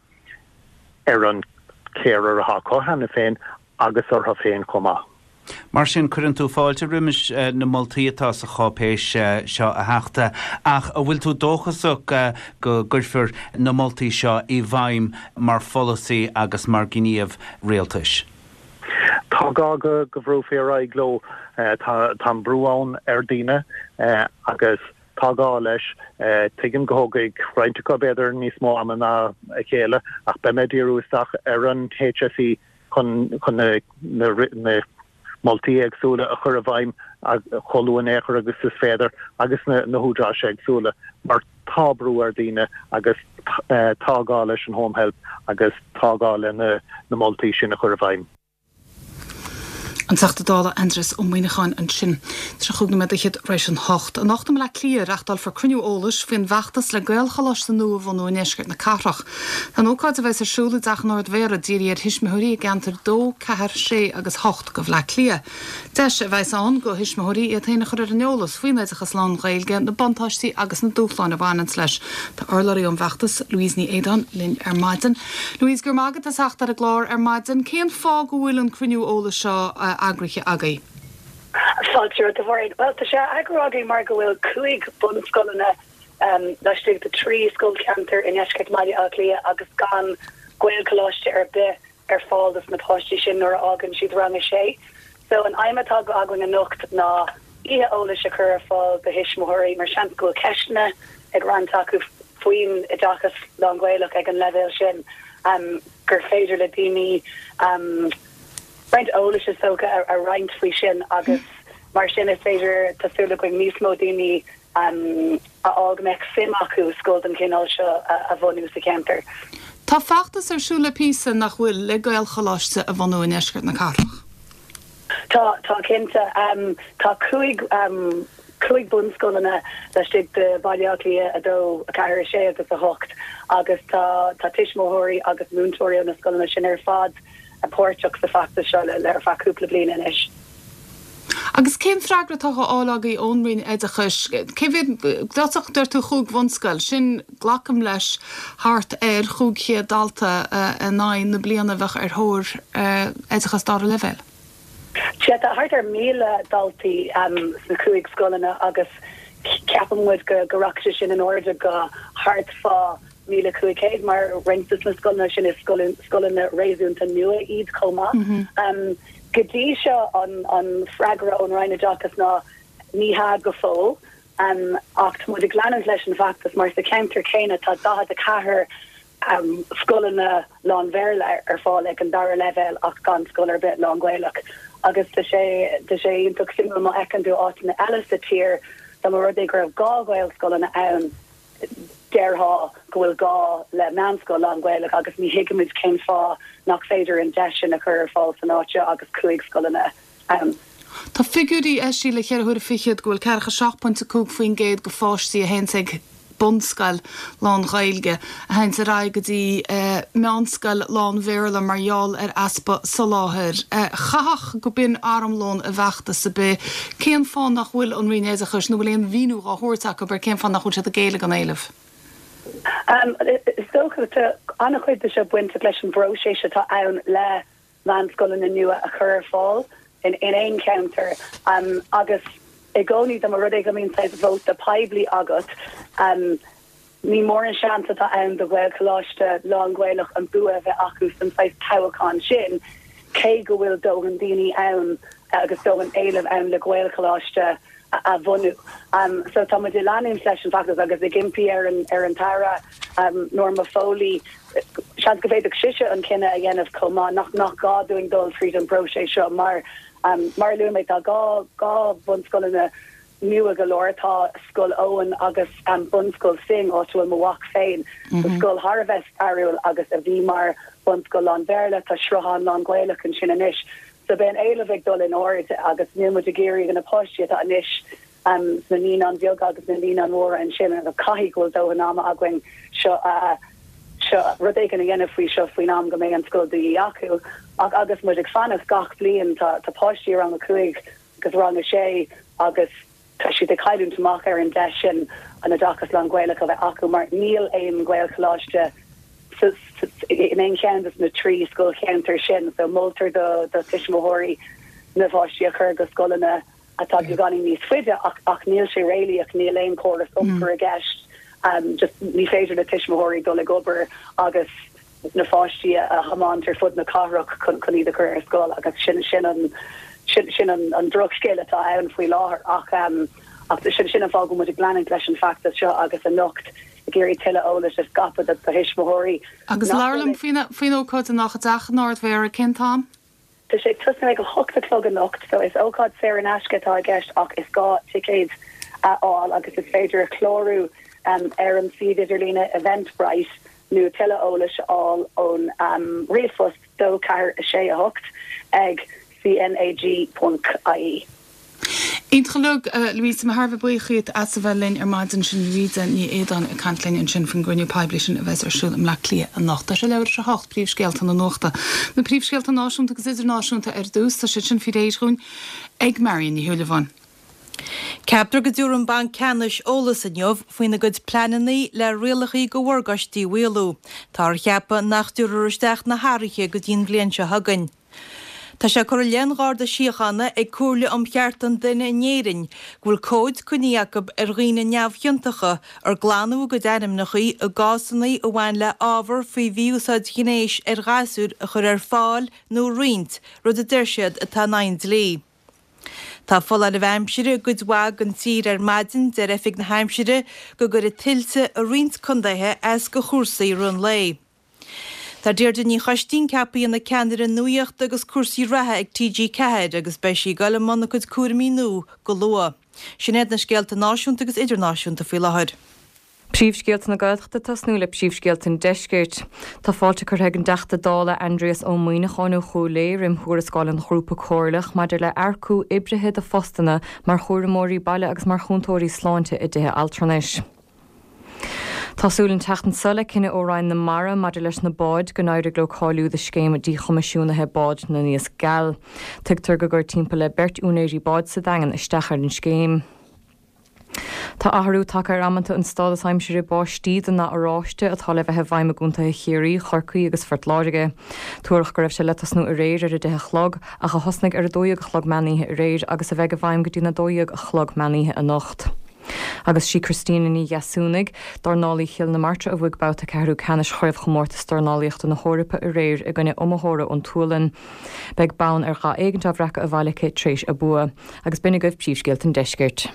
ar an carer atá acu cheana féin agus orthu féin chomh maith. Mar sin, cuireann tú fáilte roimis na moltaí atá sa cháipéis seo, a Theachta, ach an bhfuil tú dóchasach go gcuirfear na moltaí seo i bhfeidhm mar pholasaí agus mar ghníomh rialtais? Tá gá go bhrúfaí ar aghaidh leo. Tá an brú ann ar daoine agus tá gá leis. Tuigim go thógfaidh roinnt acu b'fhéidir níos mó ama ná a chéile ach beidh mé ag díriú isteach ar an HSE chun na moltaí éagsúla a chur i bhfeidhm chomh luath in aon chor agus is féidir agus na húdaráis éagsúla mar tá brú ar daoine agus tá gá leis an Home Help agus tá gá le na moltaí sin a chur i bhfeidhm. An Teachta Dála Aindrias Ó Muimhneacháin ansin. 35 nóiméad fhichead tar éis an hocht. Anocht i mBleá Cliath, reachtálfar cruinniú eolais faoin bhfeachtas le Gaelcholáiste nua a bhunú i ndeisceart na cathrach. Tá an ócáid, a bheas ar siúl i dTeach an Ard-Mhéara, dírithe ar thuismitheoirí i gceantair 2, 4, 6 agus 8 de Bhleá Cliath. Deis a bheas ann do thuismitheoirí iad féin a chur ar an eolas faoin oideachas lán-Ghaeilge, na buntáistí agus na dúshláin a bhaineanns leis. Tá urlabhraí ón bhfeachtas, Louise Ní Aodáin, linn ar maidin. Louise, go raibh maith agat as theacht ar an gclár ar maidin. Cén fáth go bhfuil an cruinniú eolais seo eagraithe agaibh? Fáilte romhat, a Mháirín. Bhuel, tá sé á eagrú againn mar go bhfuil 5 bunscoileanna laistigh de 3 scoilcheantar i ndeisceart Bhaile Átha Cliath agus gan Gaelcholáiste ar bith ar fáil dos na páistí sin nuair a fhágann siad rang a sé. So an aidhm atá againn anocht ná oíche eolais a chur ar fáil do thuismitheoirí mar seans go bhfuil ceisteanna ag roinnt acu faoin oideachas lán-Ghaelach ag an leibhéal sin gur féidir le daoine roinnt eolais is dócha a roinnt faoi sin agus mar sin is féidir, tá súil againn, níos mó daoine a fháil go mbeadh suim acu scoil den chineál seo a bhunú sa cheantar. Tá feachtas ar siúl le píosa, nach bhfuil, le Gaelcholáiste a bhunú i ndeisceart na cathrach. Tá, tá cinnte. Tá 5, 5 bunscoileanna laistigh de Bhaile Átha Cliath 2, 4, 6 agus 8 agus tá, tá tuismitheoirí agus múinteoirí ó na scoileanna sin ar fad páirteach sa feachtas seo le, le ar feadh cúpla bliain anois. Agus cén freagra atá á fháil agaibh ón Roinn Oideachais? Cé mhéad, dtosach deir tú chúig bhunscoil, sin, glacaim leis, thart ar 500 dalta in aghaidh na bliana a bheadh ar thóir oideachas dara leibhéal. Sea, tá thart ar 1,000 daltaí sna chúig scoileanna agus ceapann muid go rachaidh sé sin in airde go thart fá 1,500 mar roinnt de na scoileanna sin is scoileanna réasúnta nua iad chomh maith. Go dtí seo an freagra ón Roinn Oideachais ná ní hea go fóill ach tá muid ag leanúint leis an bhfeachtas mar sa cheantar céanna tá 44 scoileanna lán-Bhéarla ar fáil ag an dara leibhéal ach gan scoil ar bith lán-Ghaelach agus tá sé tá sé iontach suimiúil má fheiceann tú áiteanna eile sa tír dá mba rud é go raibh 2 Ghaelscoileanna ann déarfá go bhfuil gá le meánscoil lán-Ghaelach agus ní thuigimid cén fáth nach féidir an deis sin a chur ar fáil san áit seo agus 5 scoileanna ann. Tá figiúirí eisithe le cheithre huaire fichead go bhfuil ceathracha 7.5% de pháistí a théanns ag bunscoil lán-Ghaeilge a théanns ar aghaidh go dtí meánscoil lán-Bhéarla mar gheall ar easpa soláthair. Chaithfeadh go b'in armlón i bhfeachtas ar bith. Cén fáth nach bhfuil an Roinn Oideachais, nó bhfuil aon mhíniú dhá thabhairt acu ar cén fáth nach bhfuil siad ag géilleadh don éileamh? Is dócha tá an-chuid de seo bainteach leis an bpróiseas atá ann le meánscoileanna nua a chur ar fáil in aon cheantar agus i gcónaí dá mba rud é go mbíonn saghas vóta poiblí agat, ní mór an seans atá ann do Ghaelcholáiste lán-Ghaelach an bua a bheith acu san saghas toghachán sin, cé go bhfuil dóthain daoine ann agus dóthain éilimh ann le Gaelcholáiste a bhunú. So tá muid ag leanúint leis an bhfeachtas agus ag impí ar an ar an tAire Norma Foley, seans go bhféadfadh sise an cinneadh a dhéanamh chomh maith, nach nach gá dúinn dul tríd an bpróiseas seo mar mar a luaigh mé tá 2 2 bhunscoileanna nua go leor, tá Scoil Eoin agus Bunscoil Synge, áit a bhfuil mo mhac féin, so scoil thar a bheith stairiúil agus a bhí mar bhunscoil lán-Bhéarla, tá sruthán lán-Ghaelach ansin anois. So beidh an éileamh ag dul in airde agus níl muid ag iarraidh na páistí atá anois sna naíonáin bheaga agus na naíonáin mhóra ansin agus caithfidh go bhfuil dóthain ama againn seo a seo rud éigin a dhéanamh faoi seo faoin am go mbeidh an scoil de dhíth acu. Ach agus muid ag fanacht gach bliain tá tá páistí i rang a 5 agus rang a 6 agus tá siad ag cailliúint amach ar an deis sin an oideachas lán-Ghaelach a bheith acu mar níl aon Ghaelcholáiste in aon cheann de na trí scoilcheantar sin. So moltar do do tuismitheoirí. na bpáistí a chur go scoileanna atá beagáinín níos faide ach ach níl sé réalaíoch, níl aon chóras iompair i gceist, just ní féidir le tuismitheoirí dul ag obair agus na pháistí a thiomáint ar fud na cathrach chun chun iad a chur ar scoil agus sin sin an sin sin an an drochscéal atá ann faoi láthair ach ach sin sin an fáth go bhfuil muid ag leanúint leis an bhfeachtas seo agus anocht ag iarraidh tuilleadh eolais a scaipeadh do thuismitheoirí Agus labhair liom faoin faoin ócáid anocht i dTeach an Ardmhéara, cén t-am? Tá sé ag tosnú ag 8 a chlog anocht so is ócáid saor in aisce atá i gceist ach is gá ticéid a fháil agus is féidir clárú ar an suíomh idirlíne Eventbrite nó tuilleadh eolais a fháil ón ríomhphost 2 4 6 8 ag cnag ponc ie. Iontach uilig, Louise, tá mé thar a bheith buíoch dhíot as a bheith linn ar maidin. Sin Louisa Ní Éadáin ag caint linn ansin faoin gcruinniú poiblí sin a bheas ar siúl i mBleá Cliath anocht. Tá sé leathuair tar éis a hocht, príomhscéalta na nuachta. Na príomhscéalta náisiúnta agus idirnáisiúnta ar dtús, tá siad sin faoi réir dhúinn ag Marion Ní Shúilleabháin. Ceaptar go dtabharfaidh an Banc Ceannais eolas inniu faoina gcuid pleananna le rialacha do mhorgáistí a mhaolú. Táthar a cheapadh nach dtabharfar isteach na hathruithe go dtí an bhliain seo chugainn. Tá sé curtha i leith an Gharda Síochána ag Comhairle um Chearta an Duine in Éirinn go bhfuil comhaid coinnithe acu ar dhaoine neamhchiontacha ar glanadh a gcuid ainmneacha i gcásanna a bhain le ábhar faoi mhí-úsáid ghnéis ar ghasúir a chur ar fáil nó a roinnt, rud a deir siad atá in aghaidh an dlí. Tá foláireamh aimsire i gcuid mhaith den tír ar maidin, deir Oifig na hAimsire go gcuirfidh tuilte i roinnt contaetha as do chúrsaí i rith an lae. Tá Deirdre Ní Choistín ceaptha ina ceannaire nuachta agus cúrsaí reatha ag TG4 agus beidh sí ag dul i mbun a cuid cúraimí nua go luath. Sin iad na scéalta náisiúnta agus idirnáisiúnta faoi láthair. Príomhscéalta na Gaeltachta ag tosnú le príomhscéalta an Deiscirt. Tá fáilte curtha ag an dTeachta Dála Aindrias Ó Muimhneacháin ó Chúil Aodha roim thuarascáil an Ghrúpa Comhairleach maidir le earcú oibrithe do phostanna mar chúramóirí baile agus mar chúntóirí sláinte i dtithe altranais. Tá súil an tseachtain seo le cinneadh ó Roinn na Mara maidir leis na báid go n-éirigh leo cáiliú do scéim díchoimisiúnaithe bád na nIasc Geal. Tuigtear gur chuir timpeall le beirt úinéirí báid sa Daingean isteach ar an scéim. Tá athrú tagtha ar amanta an stádas aimsire báistí den ndath oráiste atá le bheith i bhfeidhm i gcontaetha Chiarraí, Chorcaí agus Phort Láirge. Tuaradh go raibh sé le tosnú aréir ar 10 a chlog ach a thosnaigh ar 12 a chlog meánoíche aréir agus a bheidh i bhfeidhm go dtí'n 12 a chlog meánoíche anocht. Agus sí Christina Ní Dheasúnaigh, dornálaí Chill na Martra a bhuaigh babhta ceathrú ceannais Chraobhchomórtas Dornálaíochta na hEorpa aréir i gcoinne iomaitheora ón tSualainn. Beidh bonn ar dhath éigint á bhreacadh abhaile aici tréis a bua. Agus b'in agaibh príomhscéalta an Deiscirt.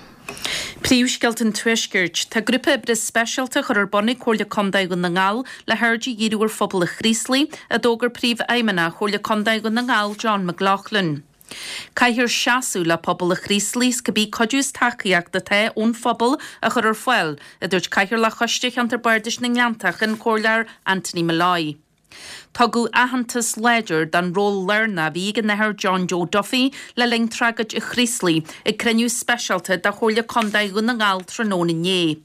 Príomhscéalta an Tuaiscirt. Tá grúpa oibre speisialta á chur ar bun ag Comhairle Contae Dhún na nGall le haird a dhíriú ar phobal an Chraoslaigh, a d'fhógair Príomhfheidhmeannach Chomhairle Contae Dhún na nGall, John McLaughlin. Caithfear seasamh le pobal an Chraoslaigh is cibé cuidiú is tacaíocht atá ón phobal a chur ar fáil, a dúirt Cathaoirleach Choiste Cheantar Bardais na nGleanntach, an Comhairleoir Anthony Molloy. Tugadh aitheantas láidir don ról lárnach a bhí ag an Athair John Joe Duffy le linn tragóid an Chraoslaigh ag cruinniú speisialta de Chomhairle Contae Dhún na nGall tráthnóna inné.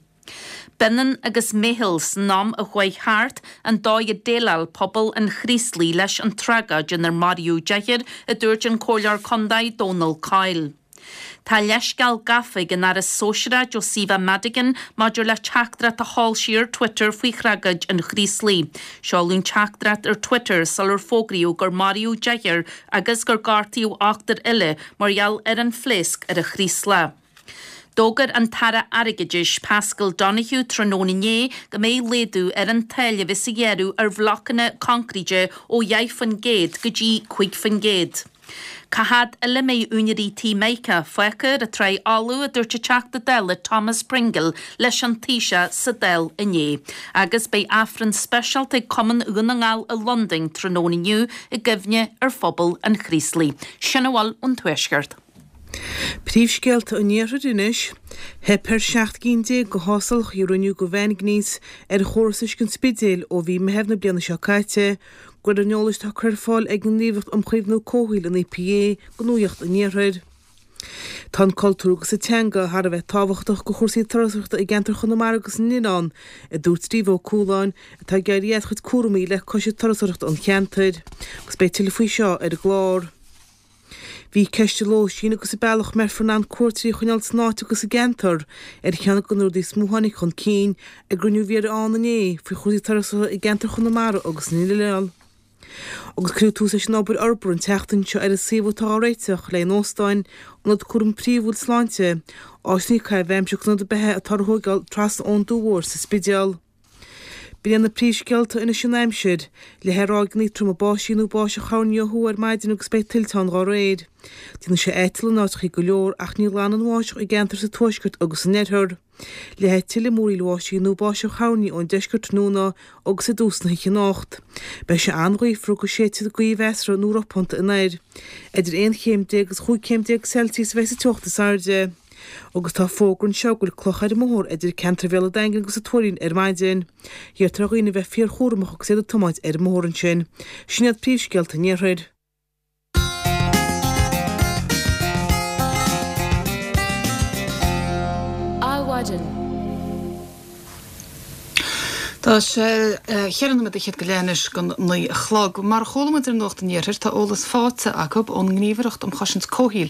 B'ionann agus meitheal san am a chuaigh thart an dóigh a déileáil pobal an Chraoslaigh leis an tragóid inar maraíodh deichniúr, a dúirt an Comhairleoir Contae Dónal Coyle. Tá leithscéal gafa ag an Aire Sóisearach Josepha Madigan maidir le teachtaireacht a sheol sí ar Twitter faoi thragóid an Chraoslaigh. Seoladh an teachtaireacht ar Twitter sular fógraíodh gur maraíodh deichniúr agus gur gortaíodh ochtar eile mar gheall ar an phléasc ar an Chraoslach. D'fhógair an tAire Airgeadais Paschal Donohoe tráthnóna inné go mbeidh laghdú ar an táille a bheas á ghearradh ar bhlocanna coincréite ó 10% go dtí 5%. Cá fhad eile a mbeidh úinéirí tí Micah fágtha ar an tráigh fholamh, a dúirt an Teachta Dála Thomas Pringle leis an Taoiseach sa Dáil inné. Agus beidh Aifreann speisialta ag Cumann Dhún na nGall i Londain tráthnóna inniu i gcuimhne ar phobal an Chraoslaigh. Sin a bhfuil ón Tuaisceart. Príomhscéalta an Iarthair anois. Theip ar 17 gcinn de thástálacha a rinneadh do mhaingnéas ar chóras uisce an Spidéil ó mhí Meitheamh na bliana seo caite, de réir an eolais atá curtha ar fáil ag an nGníomhaireacht um Chaomhnú Comhshaoil, an EPA, do Nuacht an Iarthair. Tá an cultúr agus an teanga thar a bheith tábhachtach do chúrsaí turasóireachta i gceantar Chonamara agus na nOileán, a dúirt Steve Ó Cualáin, atá ag éirí as a chuid cúramaí le Coiste Turasóireachta an cheantair. Agus beidh tuilleadh faoi seo ar an gclár. Bhí ceist an lóistín agus an bealach a mbeifear in ann cuairteoirí a choinneáil san áit agus sa gceantar ar cheann de na rudaí is mó a tháinig chun cinn ag gcruinniú a bhí ar ann inné faoi chúrsaí turasóireachta i gceantar Chonamara agus na nOileán. Agus cuireadh tús leis an obair fhorbartha an tseachtain seo ar an suíomh atá á réiteach le haghaidh an óstáin, ionad cúraim príomhúil sláinte, áiseanna caitheamh aimsire agus ionad beatha atá á thóigeáil trasna ón Dumha Mhór sa Spidéal. B'in iad na príomhscéalta anois an aimsir. Leathfaidh ráigeanna troma báistí nó báisteach thoirní ó thuaidh ar maidin agus beidh tuilte ann dá réir. Déanfaidh sé aiteal in áiteachaí go leor ach ní ghlanfaidh an bháisteach i gceantair sa tuaisceart agus san oirthear. Leathfaidh tuilleadh múraíl bháistí nó báisteach thoirní ón deisceart tráthnóna agus i dtús na hoíche anocht. Beidh sé an-ghaofar agus séidfidh gaoth mheasartha nó ropánta anoir. Idir 11 chéim agus 15 chéim Celsius a bheidh sa teocht is airde. Agus tá fógra anseo go bhfuil clocha ar an mbóthar idir ceantar Bhéal an Daingin agus an Tuairín ar maidin. Iarrtar ar dhaoine bheith fíorchúramach agus iad ag tiomáint ar an mbóthar ansin. Sin iad príomhscéalta an Iarthair. Adhmhaidin. Tá sé cheithre nóiméad fhichead go leith anois don 9 a chlog. Mar a chuala muid ar Nuacht an Iarthair, tá eolas faighte acu ón nGníomhaireacht um Chosaint Comhshaoil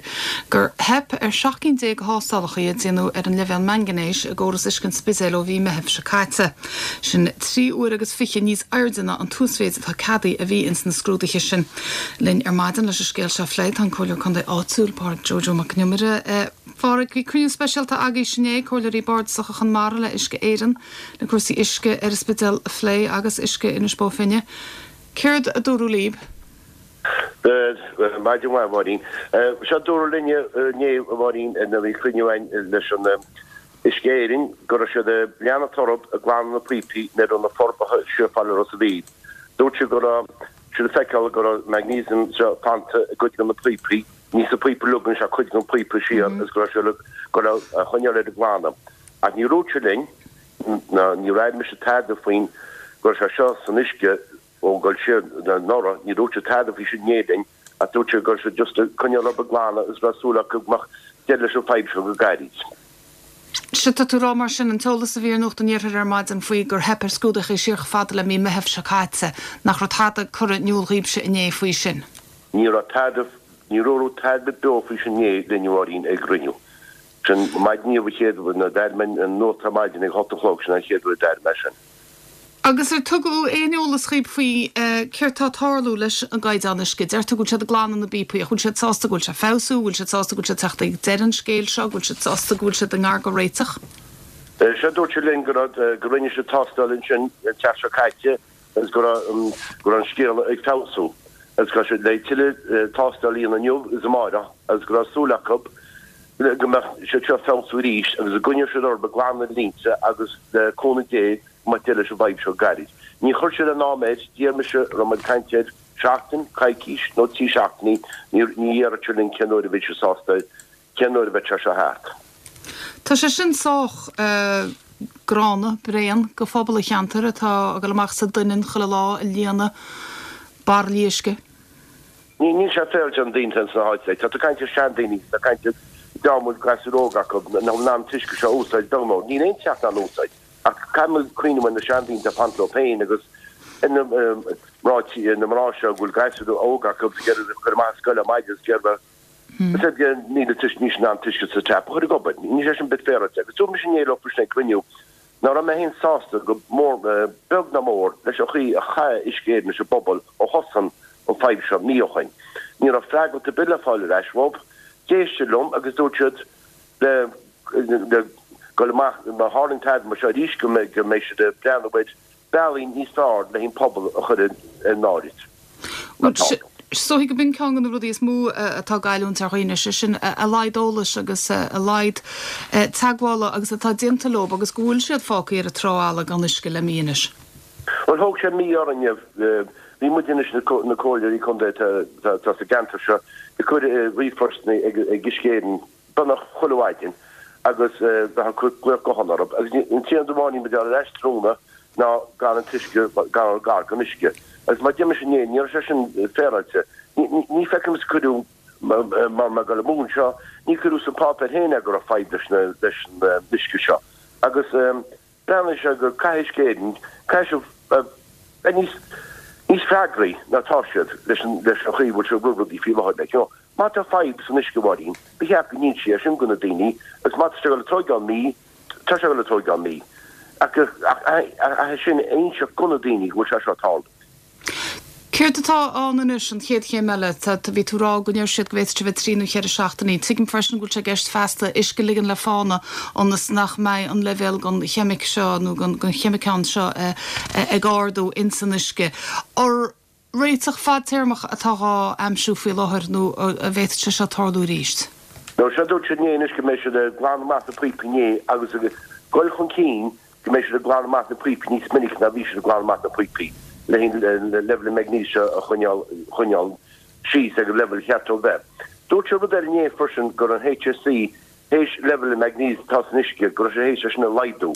gur theip ar 17 cinn de thástálacha a déanadh ar an leibhéal mangainéis i gcóras uisce an Spidéil ó mhí Meithimh seo caite. Sin 23 uair agus níos airde ná an t-uasmhéid atá ceadaithe a bhí ins na scrúduithe sin. Linn ar maidin leis an scéal seo a phlé tá an Comhairleoir Contae áitiúil, Pádraig Joe Joe Mac Con Iomaire. Phádraig, bhí cruinniú speisialta agaibhse inné, Comhairleoirí Bardasacha Chonamara le Uisce Éireann, le cúrsaí uisce ar an Spidéal a phlé agus uisce Inis Bó Finne. Céard a dúradh líb? Maidin mhaith, a Mháirín. Sea, dúradh linne inné, a Mháirín, nuair a bhí cruinniú againn leis an Uisce Éireann, go raibh siad ag leanacht orthu ag glanadh na píopaí nuair a raibh na forbartha siar fá Ros a' Mhíl. Dúirt siad go raibh siad ag feiceáil go raibh magnesium fanta i gcuid de na píopaí. Ní sa phíopa uilig anois ach cuid den phíopa siar agus go raibh sé le go raibh a choinneáil ar an glanadh. Ach níor dhúirt sé linn, ná níor airigh mise tada faoin go raibh sé seo san uisce ó ag dul siar anuraidh, níor dhúirt sé tada faoi sin inné linn ach dúirt sé go raibh sé just ag coinneáil orthu ag glanadh agus go raibh súil acu go mbeadh deireadh leis an fadhb seo go gairid. Sea, tá tú ag rá mar sin, an t-eolas a bhí ar Nuacht an Iarthair ar maidin faoi gur theip ar scrúduithe siar chomh fada le mí Meithimh seo caite, nach raibh tada curtha in iúl dhaoibhse inné faoi sin? Ní raibh tada, ní dúradh tada beo faoi sin inné linn a Mháirín ag an gcruinniú. Sin maidin inniu an chéad uair, nuair a d'airigh mé an nuacht ar maidin ag a hocht a chlog, sin an chéad uair a d'airigh mé sin. Agus ar tugadh aon eolas dhaoib faoi céard tá ag tarlú leis an gcaighdeán uisce? Deirtear go bhfuil siad ag glanadh na bpíopaí ach bhfuil siad sásta go bhfuil sé ag feabhsú, bhfuil siad sásta go bhfuil siad ag teacht ag deireadh an scéil seo, go bhfuil siad sásta go bhfuil siad i ngar do réiteach? Sea, dúirt siad linn go raibh, go rinne siad tástáil ansin an tseachtain seo caite agus go raibh go raibh an scéal ag feabhsú agus go raibh siad le tuilleadh tástáil a dhéanamh inniu agus amáireach agus go raibh súil acu go mbeadh siad seo ag feabhsú arís agus go gcoinneodh siad orthu ag glanadh na línte agus le cúnamh Dé go mbeadh deireadh leis an bhfadhb seo go gairid. Ní chuir siad aon am air, d'iarr mise, raibh muid ag caint ar seachtain, coicís nó 3 seachtainí, ní ní dhéarfadh siad linn cén uair a bheidh siad sásta cén uair a bheidh sé seo thart. Tá sé sin sách gránna, bréan go phobal an cheantair atá ag dul amach sa doineann chuile lá ag líonadh bairillí uisce. Ní, níl sé féaráilte do na daoine sna háite. Tá tú ag caint ar seandaoine, tá caint ar dream a bhfuil gasúir óga acu nach bhfuil in ann an t-uisce seo a úsáid, beag mór. Níl aon teach in ann úsáid. Ach caithfidh muid cuimhneamh ar na seandaoine atá ag fanacht leo féin agus ar na mná tí, na mná seo go bhfuil gasúir óga acu agus ag iarraidh a chur amach as scoil ar maidin agus ag iarraidh Níl an t-uisce, níl siad in ann an t-uisce sa tap a chur ag obair. Níl sé sin bit féaráilte. Agus dúirt mise inné leo faoi sin ag cruinniú nach raibh mé féin sásta go mór, beag ná mór, leis an chaoi a chaith Uisce Éireann leis an bpobal ó thosaigh an fadhb seo mí ó shoin. Ní raibh freagairt ar bith le fáil ar ais uathu. D'éist siad liom agus dúirt siad le le dul amach má tharlaíonn tada mar seo arís go mbeidh siad ag breathnú ar bealaí níos fearr le an pobal a chur ar an áireamh. Bhuel, is dóichí go b'in ceann de na rudaí is mó atá ag goilliúint ar dhaoine, sé sin a laghad eolais agus a laghad teagmhála agus atá déanta leo agus go bhfuil siad fágtha ar an trá fhalla gan uisce le mí anois. Bhuel, thóg sé mí orainne, bhí muid anois, na comhairleoirí contae atá sa gceantar seo, ag cur ríomhphostanna ag Uisce Éireann beagnach chuile mhaidin agus bheith ag cur glaoch gutháin orthu agus an t-aon rud amháin a bhí muid a fháil ar ais tráthnóna ná gan an t-uisce, gan gar don uisce. Agus mar a deir mise inné, ní raibh sé sin féaráilte. Ní feicim is cuireadh, mar mé ag dul amú anseo, ní cuireadh sa pháipéar féin é go raibh fadhb leis leis an uisce seo. Agus breathnaíonn sé go caithfidh Uisce Éireann, caithfidh siad bheith níos níos freagraí ná atá siad leis an leis an chaoi a bhfuil siad ag rith rudaí faoi láthair. Like, you know, má tá fadhb san uisce a Mháirín, ba cheart go n-insí é sin go na daoine agus má tá sé ag dul ag tóigeáil mí, tá sé ag dul ag tóigeáil mí. Ach ach ach sin a inseacht go na daoine go bhfuil sé seo ag tarlú. Céard atá ann anois, an chéad chéim eile? Tá, bhí tú ag rá go ndeir siad go bhféadfadh sé bheith trí nó cheithre seachtainí. Tuigim freisin go bhfuil sé i gceist feasta uisce a ligean le fána ionas nach mbeidh an leibhéal den cheimic seo nó den cheimiceán seo ag ardú ins an uisce. An réiteach fadtéarmach atá dhá aimsiú faoi láthair nó an bhféadfadh sé seo tarlú arís? No, seo dúirt siad inné anois go mbeidh siad ag glanadh amach na píopaí inné agus ag dul chun cinn go mbeidh siad ag glanadh amach na píopaí níos minice ná bhí siad ag glanadh amach na píopaí le leibhéal an maignéis a choinneáil choinneáil síos ag an leibhéal cheart dó bheith. Dúirt siad rud eile inné freisin go raibh an HSE théis leibhéal an maignéis atá san uisce go raibh sé théis é sin a laghdú.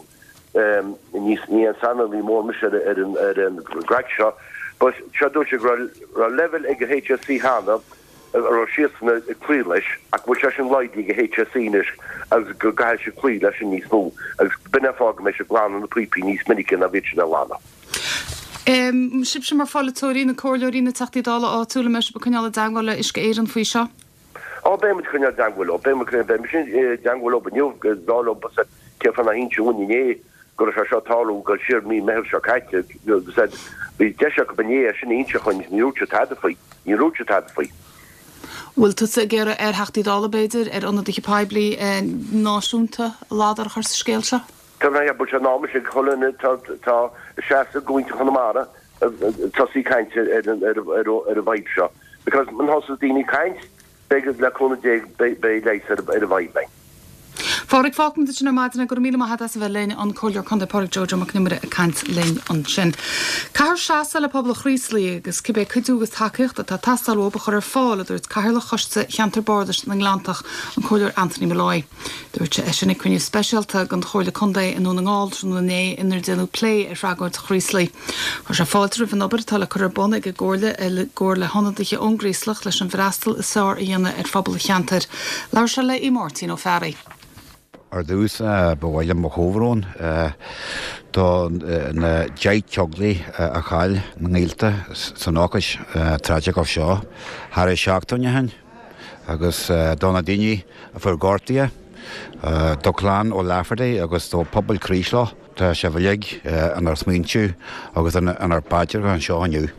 Ní ní aon saineolaí mór mise ar ar an ar an gcraic seo but seo dúirt sé go raibh raibh leibhéal ag an HSE cheana a raibh siadsan ag cloí leis ach go bhfuil sé sin laghdaithe ag an HSE anois agus go gcaithfidh siad cloí leis sin níos mó agus b'in é an fáth go mbeidh siad ag glanadh na píopaí níos minice ná bhíod siad á nglanadh. Sibhse mar pholaiteoirí, na comhairleoirí, na Teachtaí Dála áitiúla, an mbeidh sibh ag coinneáil i dteagmháil le Uisce Éireann faoi seo? Á, beidh muid ag coinneáil i dteagmháil leo, beidh muid, beidh mise i dteagmháil leo inniu, ag rá leo cén fáth nár inseadh dhúinn inné go raibh sé seo ag tarlú ag dul siar mí Meitheamh seo caite agus bhí deis acu inné é sin a inse dhúinn, ní dúirt siad tada faoi, ní dúirt siad tada faoi. Bhfuil tusa ag iarraidh ar Theachtaí Dála, b'fhéidir, ar ionadaithe poiblí náisiúnta ladar a chur sa scéal seo? Tá mé, bhuel sé in am anois ag chuile dhuine atá ag seasamh i gcúinne Chonamara tosaí ag caint ar an bhfadhb seo because muna thosaíonn daoine ag caint Beidh, le cúnamh Dé, beidh leigheas ar an bhfadhb againn. A Phádraig, fágfaimid ansin ar maidin é. Go raibh míle maith agat as a bheith linn, an Comhairleoir Contae Pádraig Joe Joe Mac Con Iomaire ag caint linn ansin. Caithfear seasamh le pobal an Chraoslaigh agus cibé cuidiú agus tacaíocht atá ag teastáil uathu a chur ar fáil, a dúirt Cathaoirleach Choiste Cheantar Bardais na nGleanntach, an Comhairleoir Anthony Molloy. Dúirt sé é sin ag cruinniú speisialta den Chomhairle Contae i nDún na nGall tráthnóna inné inar déanadh plé ar thragóid Chraoslaigh. Chuir sé fáilte roimh an obair atá le cur ar bun ag an gComhairle i gcomhar le hionadaithe ón gCraoslach leis an bhfreastal is fearr a dhéanamh ar phobal an cheantair. Labhair sé le Aodh Máirtín Ó Fearraigh. Ar dtús, ba mhaith liom mo chomhbhrón do na 10 teaghlaigh a chaill a ngaolta san ócáid traigiceach seo thar seachtain ó shin. agus do na daoine a fuair gortuithe, do chlann O'Lafferty agus do phobal Chraoslach. Tá sibh uilig inár smaointe agus inár bpaidreacha anseo inniu.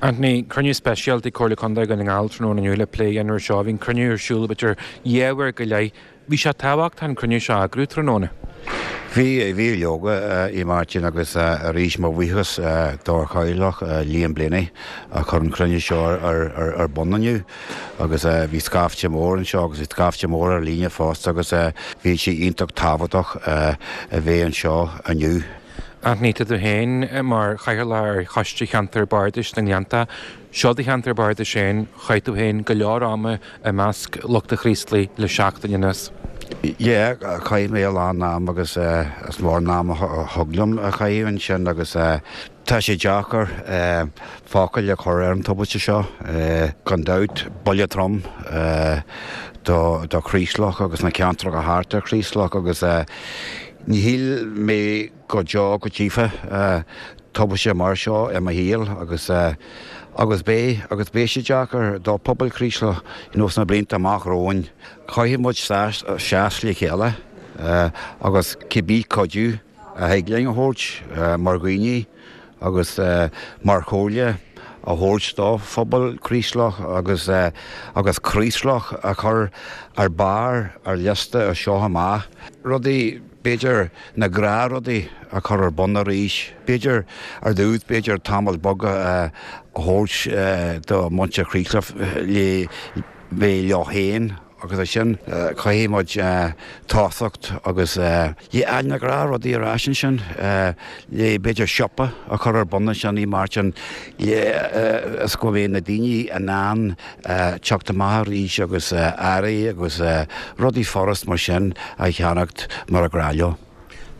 Anthony, cruinniú speisialta ag Comhairle Contae Dhún na nGall tráthnóna inniu le plé a dhéanamh ar seo. Bhí an cruinniú ar siúl b'fhéidir dhá uair go leith. Bhí sé tábhachtach an cruinniú seo a eagrú tráthnóna. Bhí, bhí leoga, a Mháirtín, agus arís mo bhuíochas dár chathaoirleach Liam Blaney a chuir an cruinniú seo ar bun inniu agus bhí scaifte mór anseo agus bhí scaifte mór ar líne fosta agus bhí sé iontach tábhachtach a bheith anseo inniu. Anthony, tá tú féin mar chathaoirleach ar Choiste Cheantar Bardais na nGleanntach. Seo do cheantar bardais féin, chaith tú féin go leor ama i measc lucht an Chraoslaigh le seachtain anuas. Yeah, chaith mé a lán am agus is mór an am a thug liom a chaitheamh ansin agus tá sé deacair focail a chur ar an tubaiste seo. Gan dabht, buille trom do do Chraoslach agus na ceantracha thart ar Chraoslach agus ní shíl mé go deo go dtchífeá tubaiste mar seo i mo shaol agus agus beidh agus beidh sé deacair do phobal Chraoslach you know sna blianta amach romhainn. Caithfidh muid seas le chéile agus cibé cuidiú a thig linn a thabhairt mar dhaoine agus mar chomhairle a thabhairt do phobal Chraoslach agus agus Craoslach a chur ar barr ar liosta as seo amach. Rudaí b'fhéidir na gnáthrudaí a chur ar bun arís, b'fhéidir ar dtús, b'fhéidir tamall beag a thabhairt do mhuintir Chraoslach le bheith leo féin agus ansin caithfidh muid tosacht agus le fháil na gnáthrudaí ar ais ansin, le b'fhéidir siopa a chur ar bun ansin a Mháirtín le is go mbeidh na daoine in ann teacht amach arís agus earraí agus rudaí furast mar sin a cheannacht mar ba ghnách leo.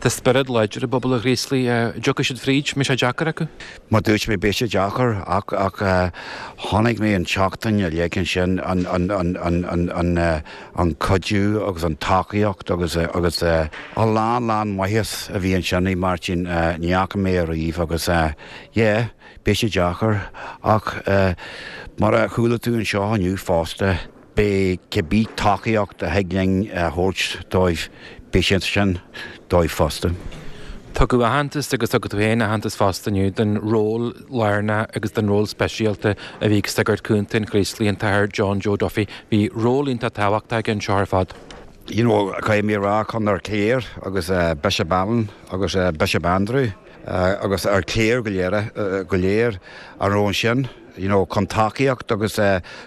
Tá spiorad láidir i bpobal an Chraoslaigh. An dtiocfaidh siad fríd? Mbeidh sé deacair acu? Mar dúirt mé, beidh sé deacair ach ach chonaic mé an tseachtain uilig ansin an an an an an an an cuidiú agus an tacaíocht agus agus a lán lán maitheas a bhí ansin a Mháirtín ní fhaca mé ariamh agus yeah Beidh sé deacair, ach mar a chuala tú anseo inniu fosta, beidh cibé tacaíocht a thig linn a thabhairt dóibh, beidh sé sin dóibh fosta. Tugadh aitheantas agus thug tú féin aitheantas fosta inniu don ról lárnach agus don ról speisialta a bhí ag Sagart Cúnta an Chraoslaigh, an tAthair John Joe Duffy. Bhí ról iontach tábhachtach aige anseo ar fad. You know, caithfidh mé a rá chun ár gcléir agus Bishop Alan agus Bishop Andrew agus ár gcléir go léir go léir a raibh ansin, you know, chun tacaíocht agus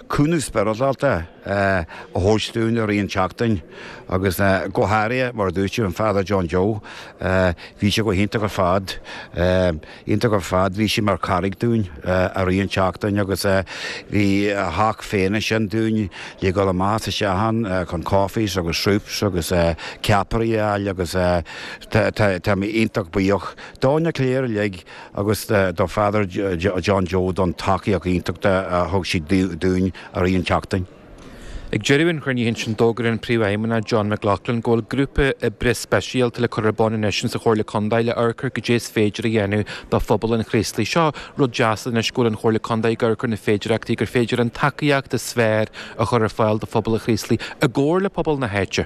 cúnamh spioradálta a thabhairt dúinn i rith an tseachtain agus go háirithe, mar a dúirt tú, an Father John Joe, bhí sé go hiontach ar fad, iontach ar fad, bhí sé mar charraig dúinn i rith an tseachtain agus bhí a theach féin ansin dúinn le dhul amach is isteach ann chun coffees agus soups agus ceapairí a fháil agus tá mé iontach buíoch do na cléir uilig agus do Father John Joe don tacaíocht iontach a thug siad dúinn i rith an tseachtain. Ag deireadh an chruinnithe ansin d'fhógair an Príomhfheidhmeannach John McLaughlin go bhfuil grúpa oibre speisialta le cur ar bun anois insa Chomhairle Contae le amharc ar goidé is féidir a dhéanamh do phobal an Chraoslaigh. Seo rud deas anois go bhfuil an Chomhairle Contae ag amharc ar na féidireachtaí gur féidir an tacaíocht is fearr a chur ar fáil do phobal an Chraoslaigh i gcomhar le pobal na háite.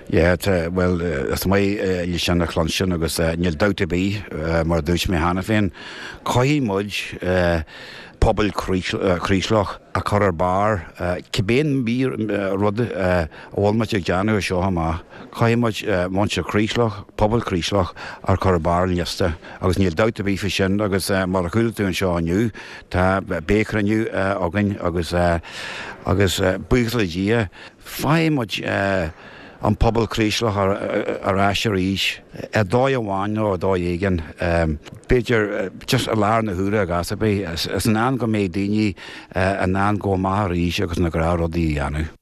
Yeah, tá, bhuel, is maith leis sin a chluinstin agus níl dabht ar bith, mar a dúirt mé cheana féin, caithfidh muid pobal Chraoslach a chur ar barr, cibé rud a bhfuil muid ag déanamh as seo amach, caithfidh muid muintir Chraoslach, pobal Chraoslach a chur ar barr an liosta agus níl dabht ar bith faoi sin agus mar a chuala tú anseo inniu, tá, beidh cruinniú againn agus agus buíochas le Dia, Faighidh muid an pobal Craoslach ar ais arís, ar dhóigh amháin nó ar dhóigh éigin, b'fhéidir just i lár na huaire i gcás ar bith, is in am go mbeidh daoine in ann gabháil amach arís agus na gnáthrudaí a dhéanamh.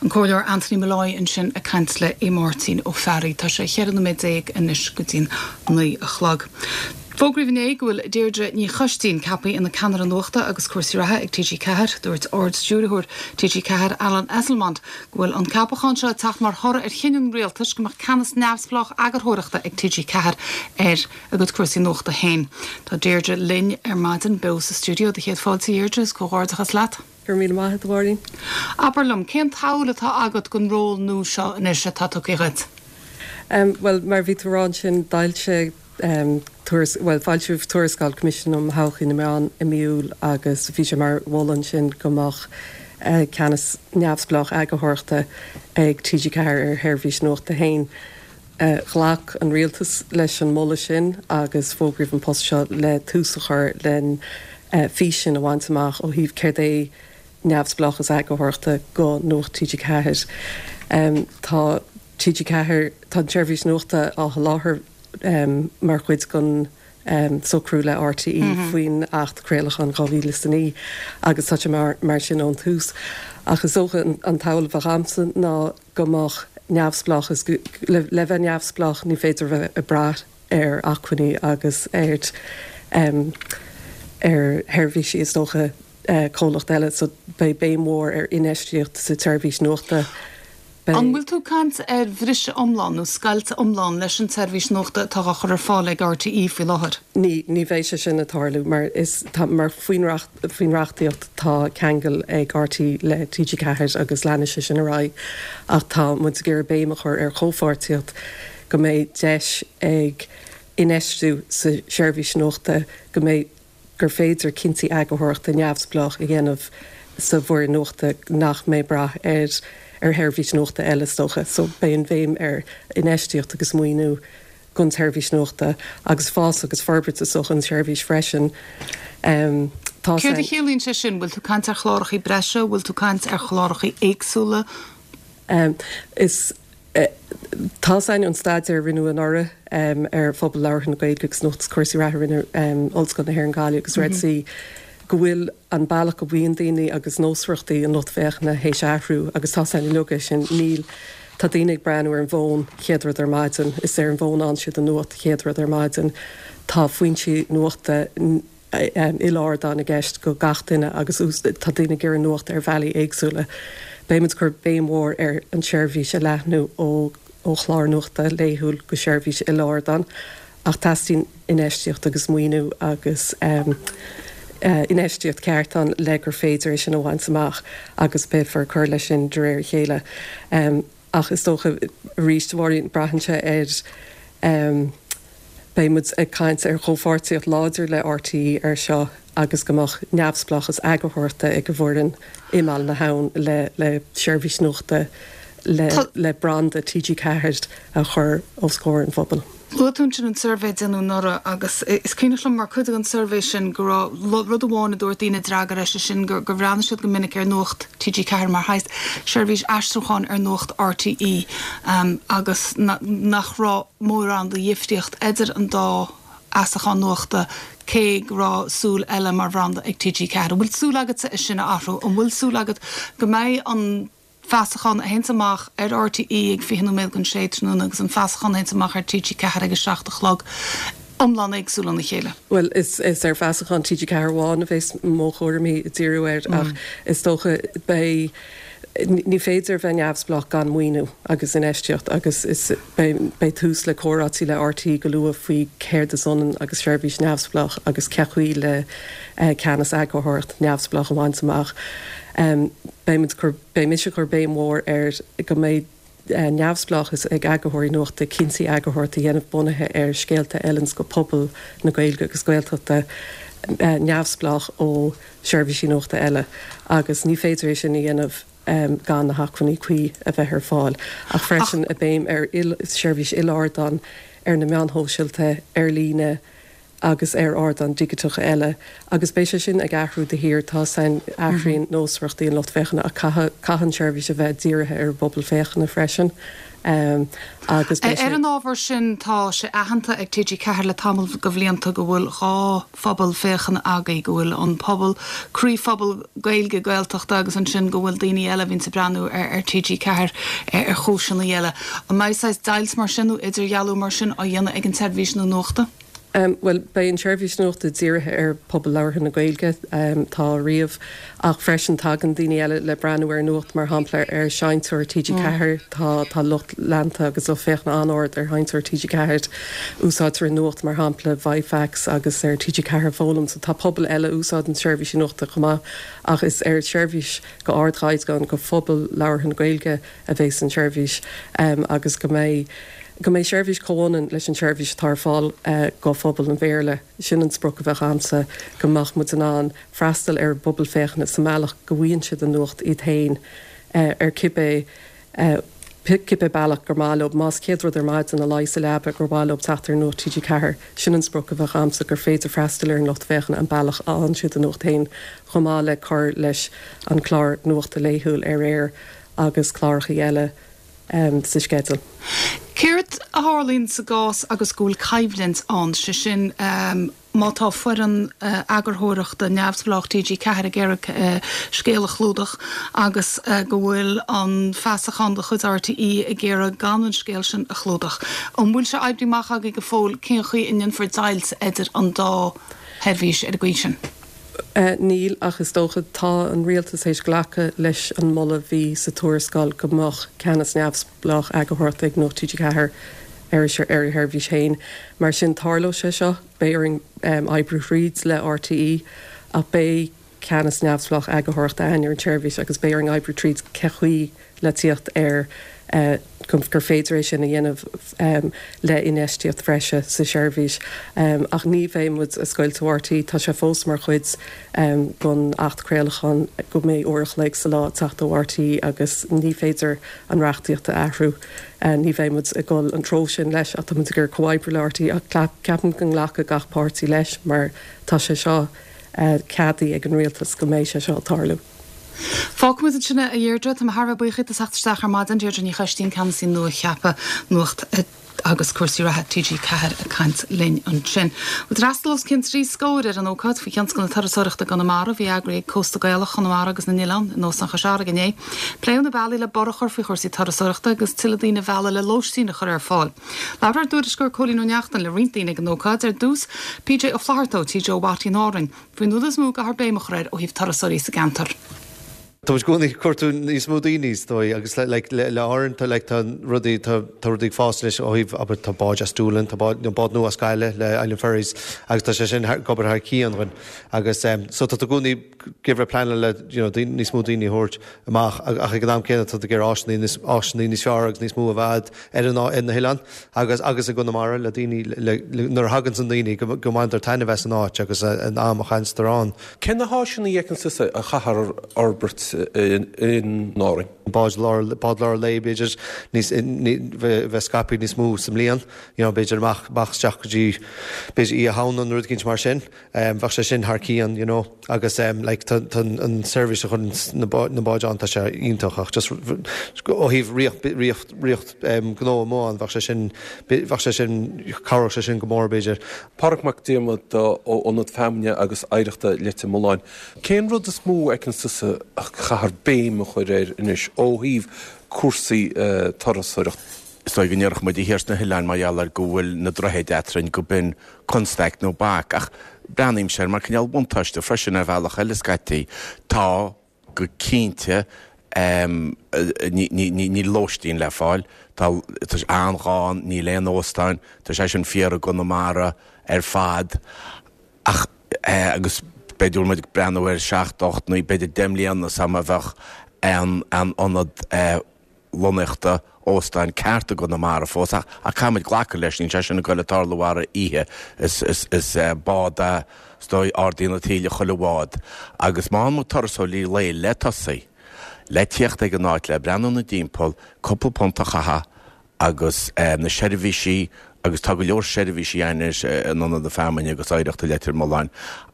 An Comhairleoir Anthony Molloy ansin ag caint le Aodh Máirtín Ó Fearraigh. Tá sé 14 nóiméad anois go dtí'n 9 a chlog. Fógraíodh inné go bhfuil Deirdre Ní Choistín ceaptha ina Ceannaire Nuachta agus Cúrsaí Reatha ag TG4. Dúirt Ard-Stiúrthóir TG4, Alan Esslemont, go bhfuil an ceapachán seo ag teacht mar thoradh ar chinneadh an Rialtais go mbeadh ceannas neamhspleách eagarthóireachta ag TG4 ar a gcuid cúrsaí nuachta féin. Tá Deirdre linn ar maidin beo sa stiúideo. Do chéad fáilte, a Dheirdre, is comhghairdeachas leat. Go raibh míle maith agat, a Mháirín. Abair liom, cén tsamhail atá agat don ról nua seo anois atá tugtha dhuit? Bhuel, mar a bhí tú a rá ansin, d'fhoilsigh tuaras, bhuel, foilsíodh tuarascáil Coimisiún um Thodhchaí na Meán i mí Iúil agus bhí sé mar mholadh ansin go mbeadh ceannas neamhspleách eagarthóireachta ag TG4 ar a sheirbhís nuachta féin. Ghlac an Rialtas leis an moladh sin agus fógraíodh an post seo le tús a chur len fís sin a bhaint amach ó thaobh céard é neamhspleáchas eagarthóireachta go Nuacht TG4. Tá TG4, tá an tseirbhís nuachta á sholáthar mar chuid den socrú le RTÉ faoin Acht Craolacháin 2009 agus tá sé mar sin ón tús. Ach is dócha an tsamhail a bheadh agamsa ná go mbeadh neamhspleáchas, le bheith neamhspleách ní féidir a bheith ag brath ar acmhainní agus ar ar sheirbhísí is dócha comhlacht eile so beidh béim mhór ar infheistíocht sa tseirbhís nuachta. Beidh. An bhfuil tú ag caint ar bhriseadh iomlán nó scoilt iomlán leis an tseirbhís nuachta atá á chur ar fáil ag RTÉ faoi láthair? Ní, ní bheidh sé sin ag tarlú mar is, tá, mar faoin faoin reachtaíocht tá ceangal ag RTÉ le TG4 agus leanfaidh sé sin ar aghaidh ach tá muid ag iarraidh béim a chur ar chomhpháirtíocht go mbeidh deis ag infheistiú sa tseirbhís nuachta go mbeidh gur féidir cinntí eagarthóireachta neamhspleách a dhéanamh sa bhfoireann nuachta nach mbeidh brath ar ar sheirbhís nuachta eile is dócha. So beidh an bhéim ar infheistíocht agus maoiniú don tseirbhís nuachta agus fás agus forbairt is dócha an tseirbhís freisin. Tá Céard a chiallaíonn sé sin? Bhfuil tú ag caint ar chlárachaí breise? Bhfuil tú ag caint ar chlárachaí éagsúla? Is Tá 's againn ón staidéar a rinneadh anuraidh ar phobal labhartha na Gaeilge agus Nuacht is Cúrsaí Reatha a rinne Ollscoil na hÉireann Gaillimh agus Red C go bhfuil an bealach go mbíonn daoine agus nósmhaireachtaí an lucht féachana théis athrú agus tá 's againn uilig é sin. Níl, tá daoine ag breathnú ar an bhfón chéad rud ar maidin, is ar an bhfón a fhaigheann siad an nuacht chéad rud ar maidin. Tá foinsí nuachta. il-ardán i gceist go gach duine agus tá daoine ag iarraidh nuacht ar bhealaí éagsúla. Beidh muid ag cur béim mhór ar an tseirbhís a leathnú ó ó chlár nuachta laethúil go seirbhís il-ardán ach teastaíonn infheistíocht agus maoiniú agus infheistíocht ceart ann le gur féidir é sin a bhaint amach agus beifear ag cur leis sin de réir a chéile. Ach is dócha arís, a Mháirín, braitheann sé ar. Beidh muid ag caint ar chomhpháirtíocht láidir le RTÉ ar seo agus go mbeadh neamhspleáchas eagarthóireachta ag an bhfoireann i mBaile na hAbhann le le seirbhís nuachta le le branda TG4 a chur os comhair an phobail. Luaigh tú ansin an suirbhé a déanadh anuraidh agus is cuimhneach liom mar chuid den suirbhé sin go raibh rud amháin a dúirt daoine a d'fhreagair é, sé sin gur bhreathnaigh siad go minic ar Nuacht TG4 mar shaghas seirbhís aistriúcháin ar Nuacht RTÉ agus nach raibh mórán de dhifríocht idir an dá fheasachán nuachta cé go raibh súil eile mar bhranda ag TG4. An bhfuil súil agatsa é sin a athrú? An bhfuil súil agat go mbeidh an feasachán a théanns amach ar RTÉ ag 20 nóiméad don sé tráthnóna agus an feasachán a théanns amach ar TG4 ag 7 a chlog iomlán éagsúil óna chéile. Bhuel, is ar fheasachán TG4 amháin a bheas mo chúraimí ag díriú air ach is dócha beidh, ní féidir bheith neamhspleách gan maoiniú agus infheistíocht agus is beidh tús le comhráití le RTÉ go luath faoi céard is ionann agus seirbhís neamhspleách agus cé chaoi le ceannas eagarthóireacht neamhspleách a bhaint amach. Beidh muid cur, beidh mise ag cur béim mhór ar go mbeidh neamhspleáchas ag eagarthóirí nuachta cinntí eagarthóireachta a dhéanamh bunaithe ar scéalta a fheileanns go pobal na Gaeilge agus Gaeltachta, neamhspleách ó sheirbhísí nuachta eile agus ní féidir é sin a dhéanamh gan na hacmhainní cuí a bheith ar fáil. Ach freisin béim ar seirbhís il-ardán ar na meáin shóisialta, ar líne, agus ar ardáin dhigiteacha eile, agus beidh sé sin ag athrú de shíor, tá san, athraíonn nósmhaireachtaí an lucht féachana ach caithfidh, caithfidh an tseirbhís a bheith dírithe ar an bpobal féachana freisin agus beidh sé. Ar an ábhar sin, tá sé aitheanta ag TG4 le tamall de bhlianta go bhfuil 2 phobal féachana agaibh, go bhfuil an pobal, croíphobal Gaeilge, Gaeltachta agus ansin go bhfuil daoine eile a bhíonns ag breathnú ar TG4 ar chúiseanna eile. An mbeidh saghas deighilt mar sin nó idirdhealú mar sin á dhéanamh ag an tseirbhís nua nuachta? Bhuel, beidh an tseirbhís nuachta dírithe ar phobal labhartha na Gaeilge, tá riamh, ach freisin tagann daoine eile le breathnú ar nuacht, mar shampla ar Sheinnteoir TG4, tá tá lucht leanta agus lucht féachana an-ard ar Sheinnteoir TG4. Úsáidtear an nuacht mar shampla ViFax agus ar TG4 Foghlaim, so tá pobal eile a úsáideann seirbhísí nuachta chomh maith, ach is ar sheirbhís go ardchaighdeán go phobal labhartha na Gaeilge a bheas an tseirbhís agus go mbeidh go mbeidh seirbhís comhionann leis an tseirbhís atá ar fáil go phobal an Bhéarla. Sin an sprioc a bheadh a'msa, go mbeadh muid in ann freastal ar an bpobal féachana sa mbealach go bhfaigheann siad an nuacht iad féin ar cibé cibé bealach gur maith leo. Más chéad rud ar maidin ina luí sa leaba gur mhaith leo teacht ar Nuacht TG4, sin an sprioc a bheadh a'msa, gur féidir freastal ar an lucht féachana an bealach a fhaigheann siad an nuacht féin, chomh maith le cur leis an clár nuachta laethúil ar aer agus clárachaí eile sa sceideal. Céard a tharlaíonn sa gcás agus go bhfuil coimhlint ann, sé sin má tá foireann eagarthóireachta neamhspleách TG4 ag iarraidh scéal a chlúdach agus go bhfuil an feasachán de chuid RTÉ ag iarraidh gan an scéal sin a chlúdach. An bhfuil sé oibrithe amach agaibh go fóill cén chaoi a ndéanfar deighilt idir an dá sheirbhís ar an gcaoi sin? Níl, ach is dócha, tá an rialtas théis glacadh leis an moladh bhí sa tuarascáil go mbeadh ceannas neamhspleách eagarthóireachta ag Nuacht TG4 ar a sheirbhís féin. Mar sin, tarlóidh sé seo, beidh orainn oibriú thríd le RTÉ ach beidh ceannas neamhspleách eagarthóireachta againn ar an tseirbhís agus beidh orainn oibriú tríd cé chaoi le tíocht ar gur féidir é sin a dhéanamh le infheistíocht bhreise sa tseirbhís. Ach ní bheidh muid ag scoilt ó RTÉ, tá sé fós mar chuid den Acht Craolacháin go mbeidh uair a chloig sa lá ag teacht ó RTÉ agus ní féidir an reachtaíocht a athrú. Ní bheidh muid ag dul an treo sin leis ach tá muid ag iarraidh comhoibriú le RTÉ ach ceapaim go nglacfaidh gach páirtí leis mar tá sé seo ceadaithe ag an rialtas go mbeidh sé seo ag tarlú. Fágfaimid ansin é, a Dheirdre. Tá mé thar a bheith buíoch díot as theacht isteach ar maidin. Deirdre Ní Choistín, Ceannasaí nua-cheaptha Nuacht agus Cúrsaí Reatha TG4 ag caint linn ansin. Bhuel, d'fhreastail os cionn 3 scór ar an ócáid faoi thionscal na turasóireachta i gConamara a bhí eagraithe ag Cósta Gaelach Chonamara agus na nOileán in Óstán Chois Fharraige inné. Pléadh na bealaí le borradh a chur faoi chúrsaí turasóireachta agus tuilleadh daoine a mhealladh le lóistín a chur ar fáil. Labhair ár dtuairisceoir Cóilín Ó Neachtain le roinnt daoine ag an ócáid, ar dtús PJ Ó Flatharta ó Tí Joe Watty in Árainn, faoin rud is mó a gcaithfear béim a chur air ó thaobh turasóirí sa gceantar. Tá muid i gcónaí ag cuartú níos mó daoine is dóigh agus like le le Árainn tá like tá rudaí tá tá rudaí ag fás anois ó thaobh abair tá báid as Doolin tá bád you know bád nua as Gaillimh le Island Ferries agus tá sé sin thar ag obair thar cionn dhúinn agus em so tá tú i gcónaí ag iarraidh pleanáil le you know daoine níos mó daoine a thabhairt amach ach ag an am céanna tá tú ag iarraidh áiseanna níos áiseanna níos fearr agus níos mó a bheith ar an ar na hoileáin agus agus i gConamara le daoine le le nuair a thaganns an daoine go go mbaintear taitneamh as an áit agus an am a chaitheanns ann. Cé na háiseanna a fheiceann tusa a chaithfear a fhorbairt in Árainn? Báid lár bád lár lae b'fhéidir níos bheith scaipthe níos mó sa mbliain you know b'fhéidir amach amach isteach go dtí b'fhéidir Oíche Shamhna nó rud eicínt mar sin. Bheadh sé sin thar cionn you know agus like tá tá an seirbhís a chuireann na na báid ann tá sé iontach ach just ó thaobh ríocht ríocht ríocht gnó amuigh ann bheadh sé sin bheadh sé sin cabhródh sé sin go mór b'fhéidir. Pádraig Mac Diarmada ó Ionad Feamainne agus Oidhreachta Leitir Mealláin. Cén rud is mó a fheiceann tusa a chaithfear béim a chur air anois ó thaobh cúrsaí turasóireachta? Is dóigh go ndéarfadh muide thiar sna hoileáin mar gheall ar go bhfuil na droichid eadrainn go b'in constaic nó bac ach breathnaímse air mar cineál buntáiste freisin ar bhealach eile scaití. Tá, go cinnte, níl lóistín le fáil, tá sé an-ghann, níl aon óstáin, tá sé sin fíor i gConamara ar fad ach agus b'fhéidir go bhfuil muid ag breathnú ar sheacht, ocht nó b'fhéidir 10 mbliana sula mbeadh aon ionad lonnaíochta óstáin ceart i gConamara fós ach caithfidh muid glacadh leis, níl sé sin ag goil ag tarlú thar oíche. Is bád é is dóigh, ardaíonn an taoille chuile bhád agus má fhaigheann muid turasóirí lae le tosaí, le tíocht ag an áit, le breathnú ina dtimpeall, cúpla punt a chaitheamh agus na seirbhísí agus tá go leor seirbhísí ann anois in Ionad na Feamainne agus Oidhreachta Leitir Mealláin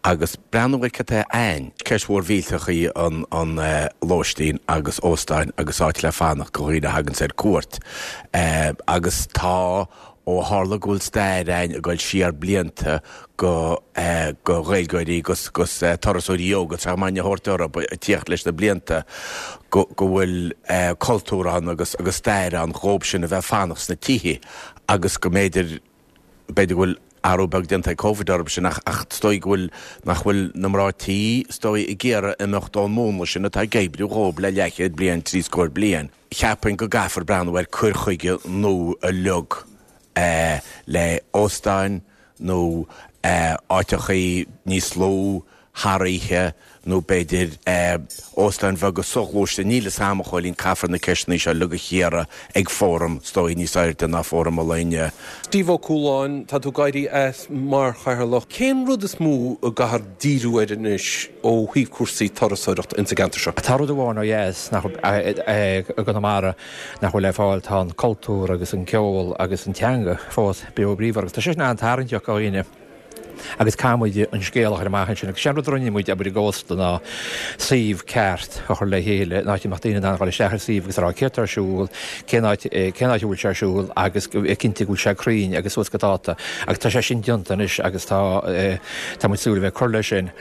agus breathnú ar cad tá ann. Ceist mhór mhillteach í an lóistín agus óstáin agus áit le fanacht do dhaoine a thaganns ar cuairt agus tá ó tharla go bhfuil stair ann ag dul siar blianta go go Ghaeilgeoirí gus gus turasóirí óga tá muidne a thabhairt orthu ag tíocht leis na blianta go go bhfuil cultúr ann agus agus stair ann dhóib sin a bheith fanacht sna tithe agus go mb'fhéidir, b'fhéidir go bhfuil athrú beag déanta ag Covid orthu sin ach, ach is dóigh go bhfuil, nach bhfuil na mná tí, is dóigh, ag iarraidh imeacht ón múnla sin atá ag oibriú dhóib le leathchéad bliain, tríscór bliain. Cheapfainn go gcaithfear breathnú ar cur chuige nua uilig le óstáin nó áiteachaí níos lú, thar oíche nó b'fhéidir óstáin bheaga soghluaiste, níl fhios a'm, a Chóilín, caithfear na ceisteanna seo uilig a chíoradh ag fóram, is dóigh, níos airde ná fóram an lae inniu. Steve Ó Cualáin, tá tú ag éirí as mar chathaoirleach. Cén rud is mó a gcaithfear díriú air anois ó thaobh cúrsaí turasóireachta insa gceantar seo? Tá rud amháin ó dheas nach i gConamara nach bhfuil le fáil, tá an cultúr agus an ceol agus an teanga fós beo bríomhar agus tá sé sin an-tarraingteach do dhaoine. Agus caithfidh muid an scéal a chur amach ansin. Agus sé an rud a rinne muid, abair, i gCósta ná suíomh ceart a chur le chéile, in áit a mbeadh daoine in ann a dhul isteach ar suíomh agus a rá céard tá ar siúl, cén áit, cén áit a bhfuil sé ar siúl agus go bheith cinnte go bhfuil sé cruinn agus suas go dáta. Agus tá sé sin déanta anois agus tá, tá muid ag súil a bheith ag cur leis sin.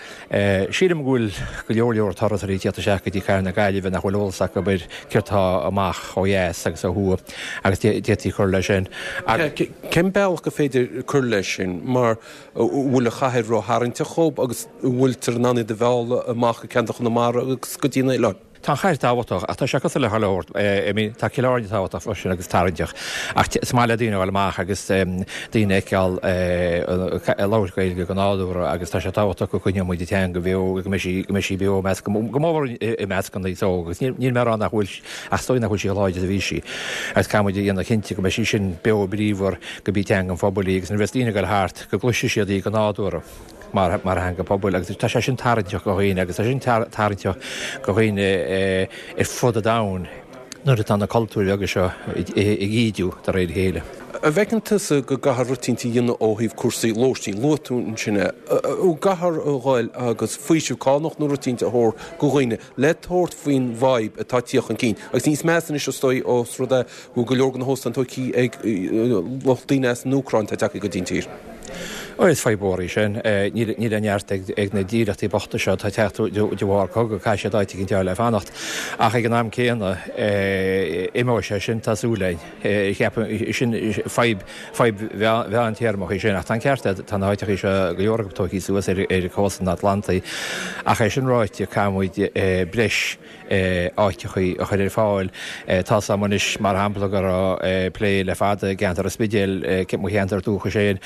Sílim go bhfuil go leor leor turasóirí ag tíocht isteach go dtí cathair na Gaillimhe nach bhfuil eolas acu ar céard tá amach ó dheas agus ó thuaidh agus d'fhéadfaí cur leis sin. Cén bealach gur féidir cur leis sin mar an bhfuil an chathair ró-tharraingteach dhóibh agus an bhfuiltear in ann iad a mhealladh amach go ceantar Chonamara agus go dtí na hoileáin? Tá an chathair tábhachtach, ach tá sé cosúil le chuile shórt. I mean, tá Cill Airne tábhachtach freisin agus tarraingteach, ach is maith le daoine a dhul amach agus daoine a fheiceáil ag labhairt Gaeilge go nádúrtha agus tá sé tábhachtach go gcoinneoidh muid an teanga bheo, go mbeidh sí, go mbeidh sí beo i measc, go mór i measc an aos óg agus níl mé ag rá nach bhfuil, ach is dóigh nach bhfuil sí chomh láidir is a bhí sí. Agus caithfidh muid a dhéanamh cinnte go mbeidh sí sin beo bríomhar, go b'í teanga an phobail í agus nuair a bheas daoine ag dul thart go gcloisfidh siad í go nádúrtha. mar theanga pobail agus tá sé sin tarraingteach do dhaoine agus tá sé sin tarraingteach do dhaoine ar fud an domhain nuair atá na cultúir bheaga seo ag ídiú de réir a chéile. An bhfeiceann tusa go gcaithfear rud eicínt a dhéanamh ó thaobh cúrsaí lóistín? Luaigh tú ansin é. An gcaithfear a ghoil agus faoiseamh cánach nó rud eicínt a thabhairt go dhaoine le tabhairt faoin bhfadhb atá ag tíocht chun cinn? Agus níos measa anois is dóigh ós rud é go bhfuil go leor de na hóstáin tógtha ag lucht daoine as an Úcráin atá tagtha go dtí an tír. Ó, is fadhb mhór í sin. Níl an neart ag na dílleachtaí bochta seo atá ag teacht de bharr cogadh, caithfidh siad áit éicint a fháil le fanacht. Ach ag an am céanna, imeoidh sé sin, tá súil againn. Cheapfainn, sin fadhb, fadhb mheántéarmach í sin. Ach tá an ceart agat, tá na háiteachaí seo, go leor acu tógtha suas ar chósta an Atlantaigh. Ach é sin ráite, caithfidh muid breis áiteachaí a chur ar fáil. Tá's a'm anois, mar shampla, go raibh plé le fada i gceantar an Spidéil, mo cheantar dúchais féin,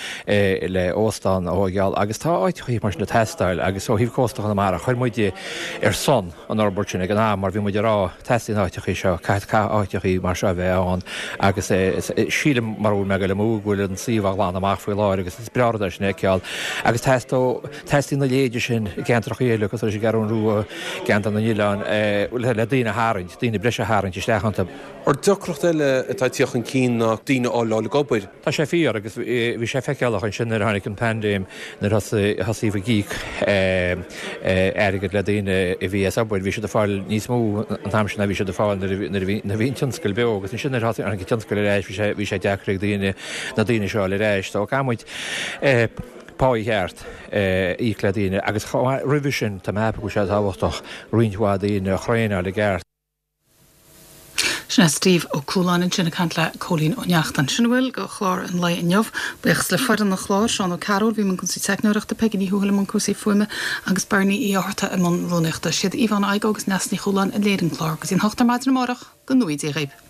le óstán a thóigeáil agus tá áiteachaí mar sin ag teastáil agus ó thaobh cósta Chonamara, chuir muid ar son an fhorbairt sin ag an am mar bhí muid ag rá, teastaíonn áiteachaí seo, caithfidh áiteachaí mar seo a bheith ann agus sílim, mura bhfuil mé ag goil amú, go bhfuil an suíomh á ghlanadh amach faoi láthair agus is breá rud é sin a fheiceáil agus teastóidh Teastaíonn a leithéide sin i gceantracha eile, cosúil leis an gCeathrú Rua, gCeantar na nOileán, le daoine a tharraingt, daoine breise a tharraingt isteach iontu. Ar deacracht eile atá ag tíocht chun cinn ná daoine a fháil ag obair. Tá sé fíor agus bhí sé feiceálach ansin nuair a tháinig an paindéim, nuair a thosaigh ag íoc airgead le daoine a bhí as obair, bhí siad ag fáil níos mó an t-am sin ná bhí siad ag fáil nuair a bhí an tionscal beo agus ansin nuair a tháinig an tionscal ar ais bhí sé deacair ag daoine na daoine seo a fháil ar ais. So caithfidh muid. Pá cheart a íoc le daoine agus chomh maith roimhe sin tá mé ag ceapadh go bhfuil sé tábhachtach roinnt mhaith daoine a thraenáil i gceart. Sin é Steve Ó Cualáin ansin ag caint le Cóilín Ó Neachtain. Sin a bhfuil go chlár an lae inniu. Buíochas le foireann an chláir, Seán Ó Cearúil a bhí i mbun cúrsaí teicneoireachta, Peigí Ní Thuathail i mbun cúrsaí fuaime agus Bernie Uí Fhátharta i mbun rúnaíochta. Siad Yvonne Igoe agus Neasa Ní Chualáin a léirigh an clár. Go dtí an hocht ar maidin amárach, go ngnóthaí Dia dhaoibh.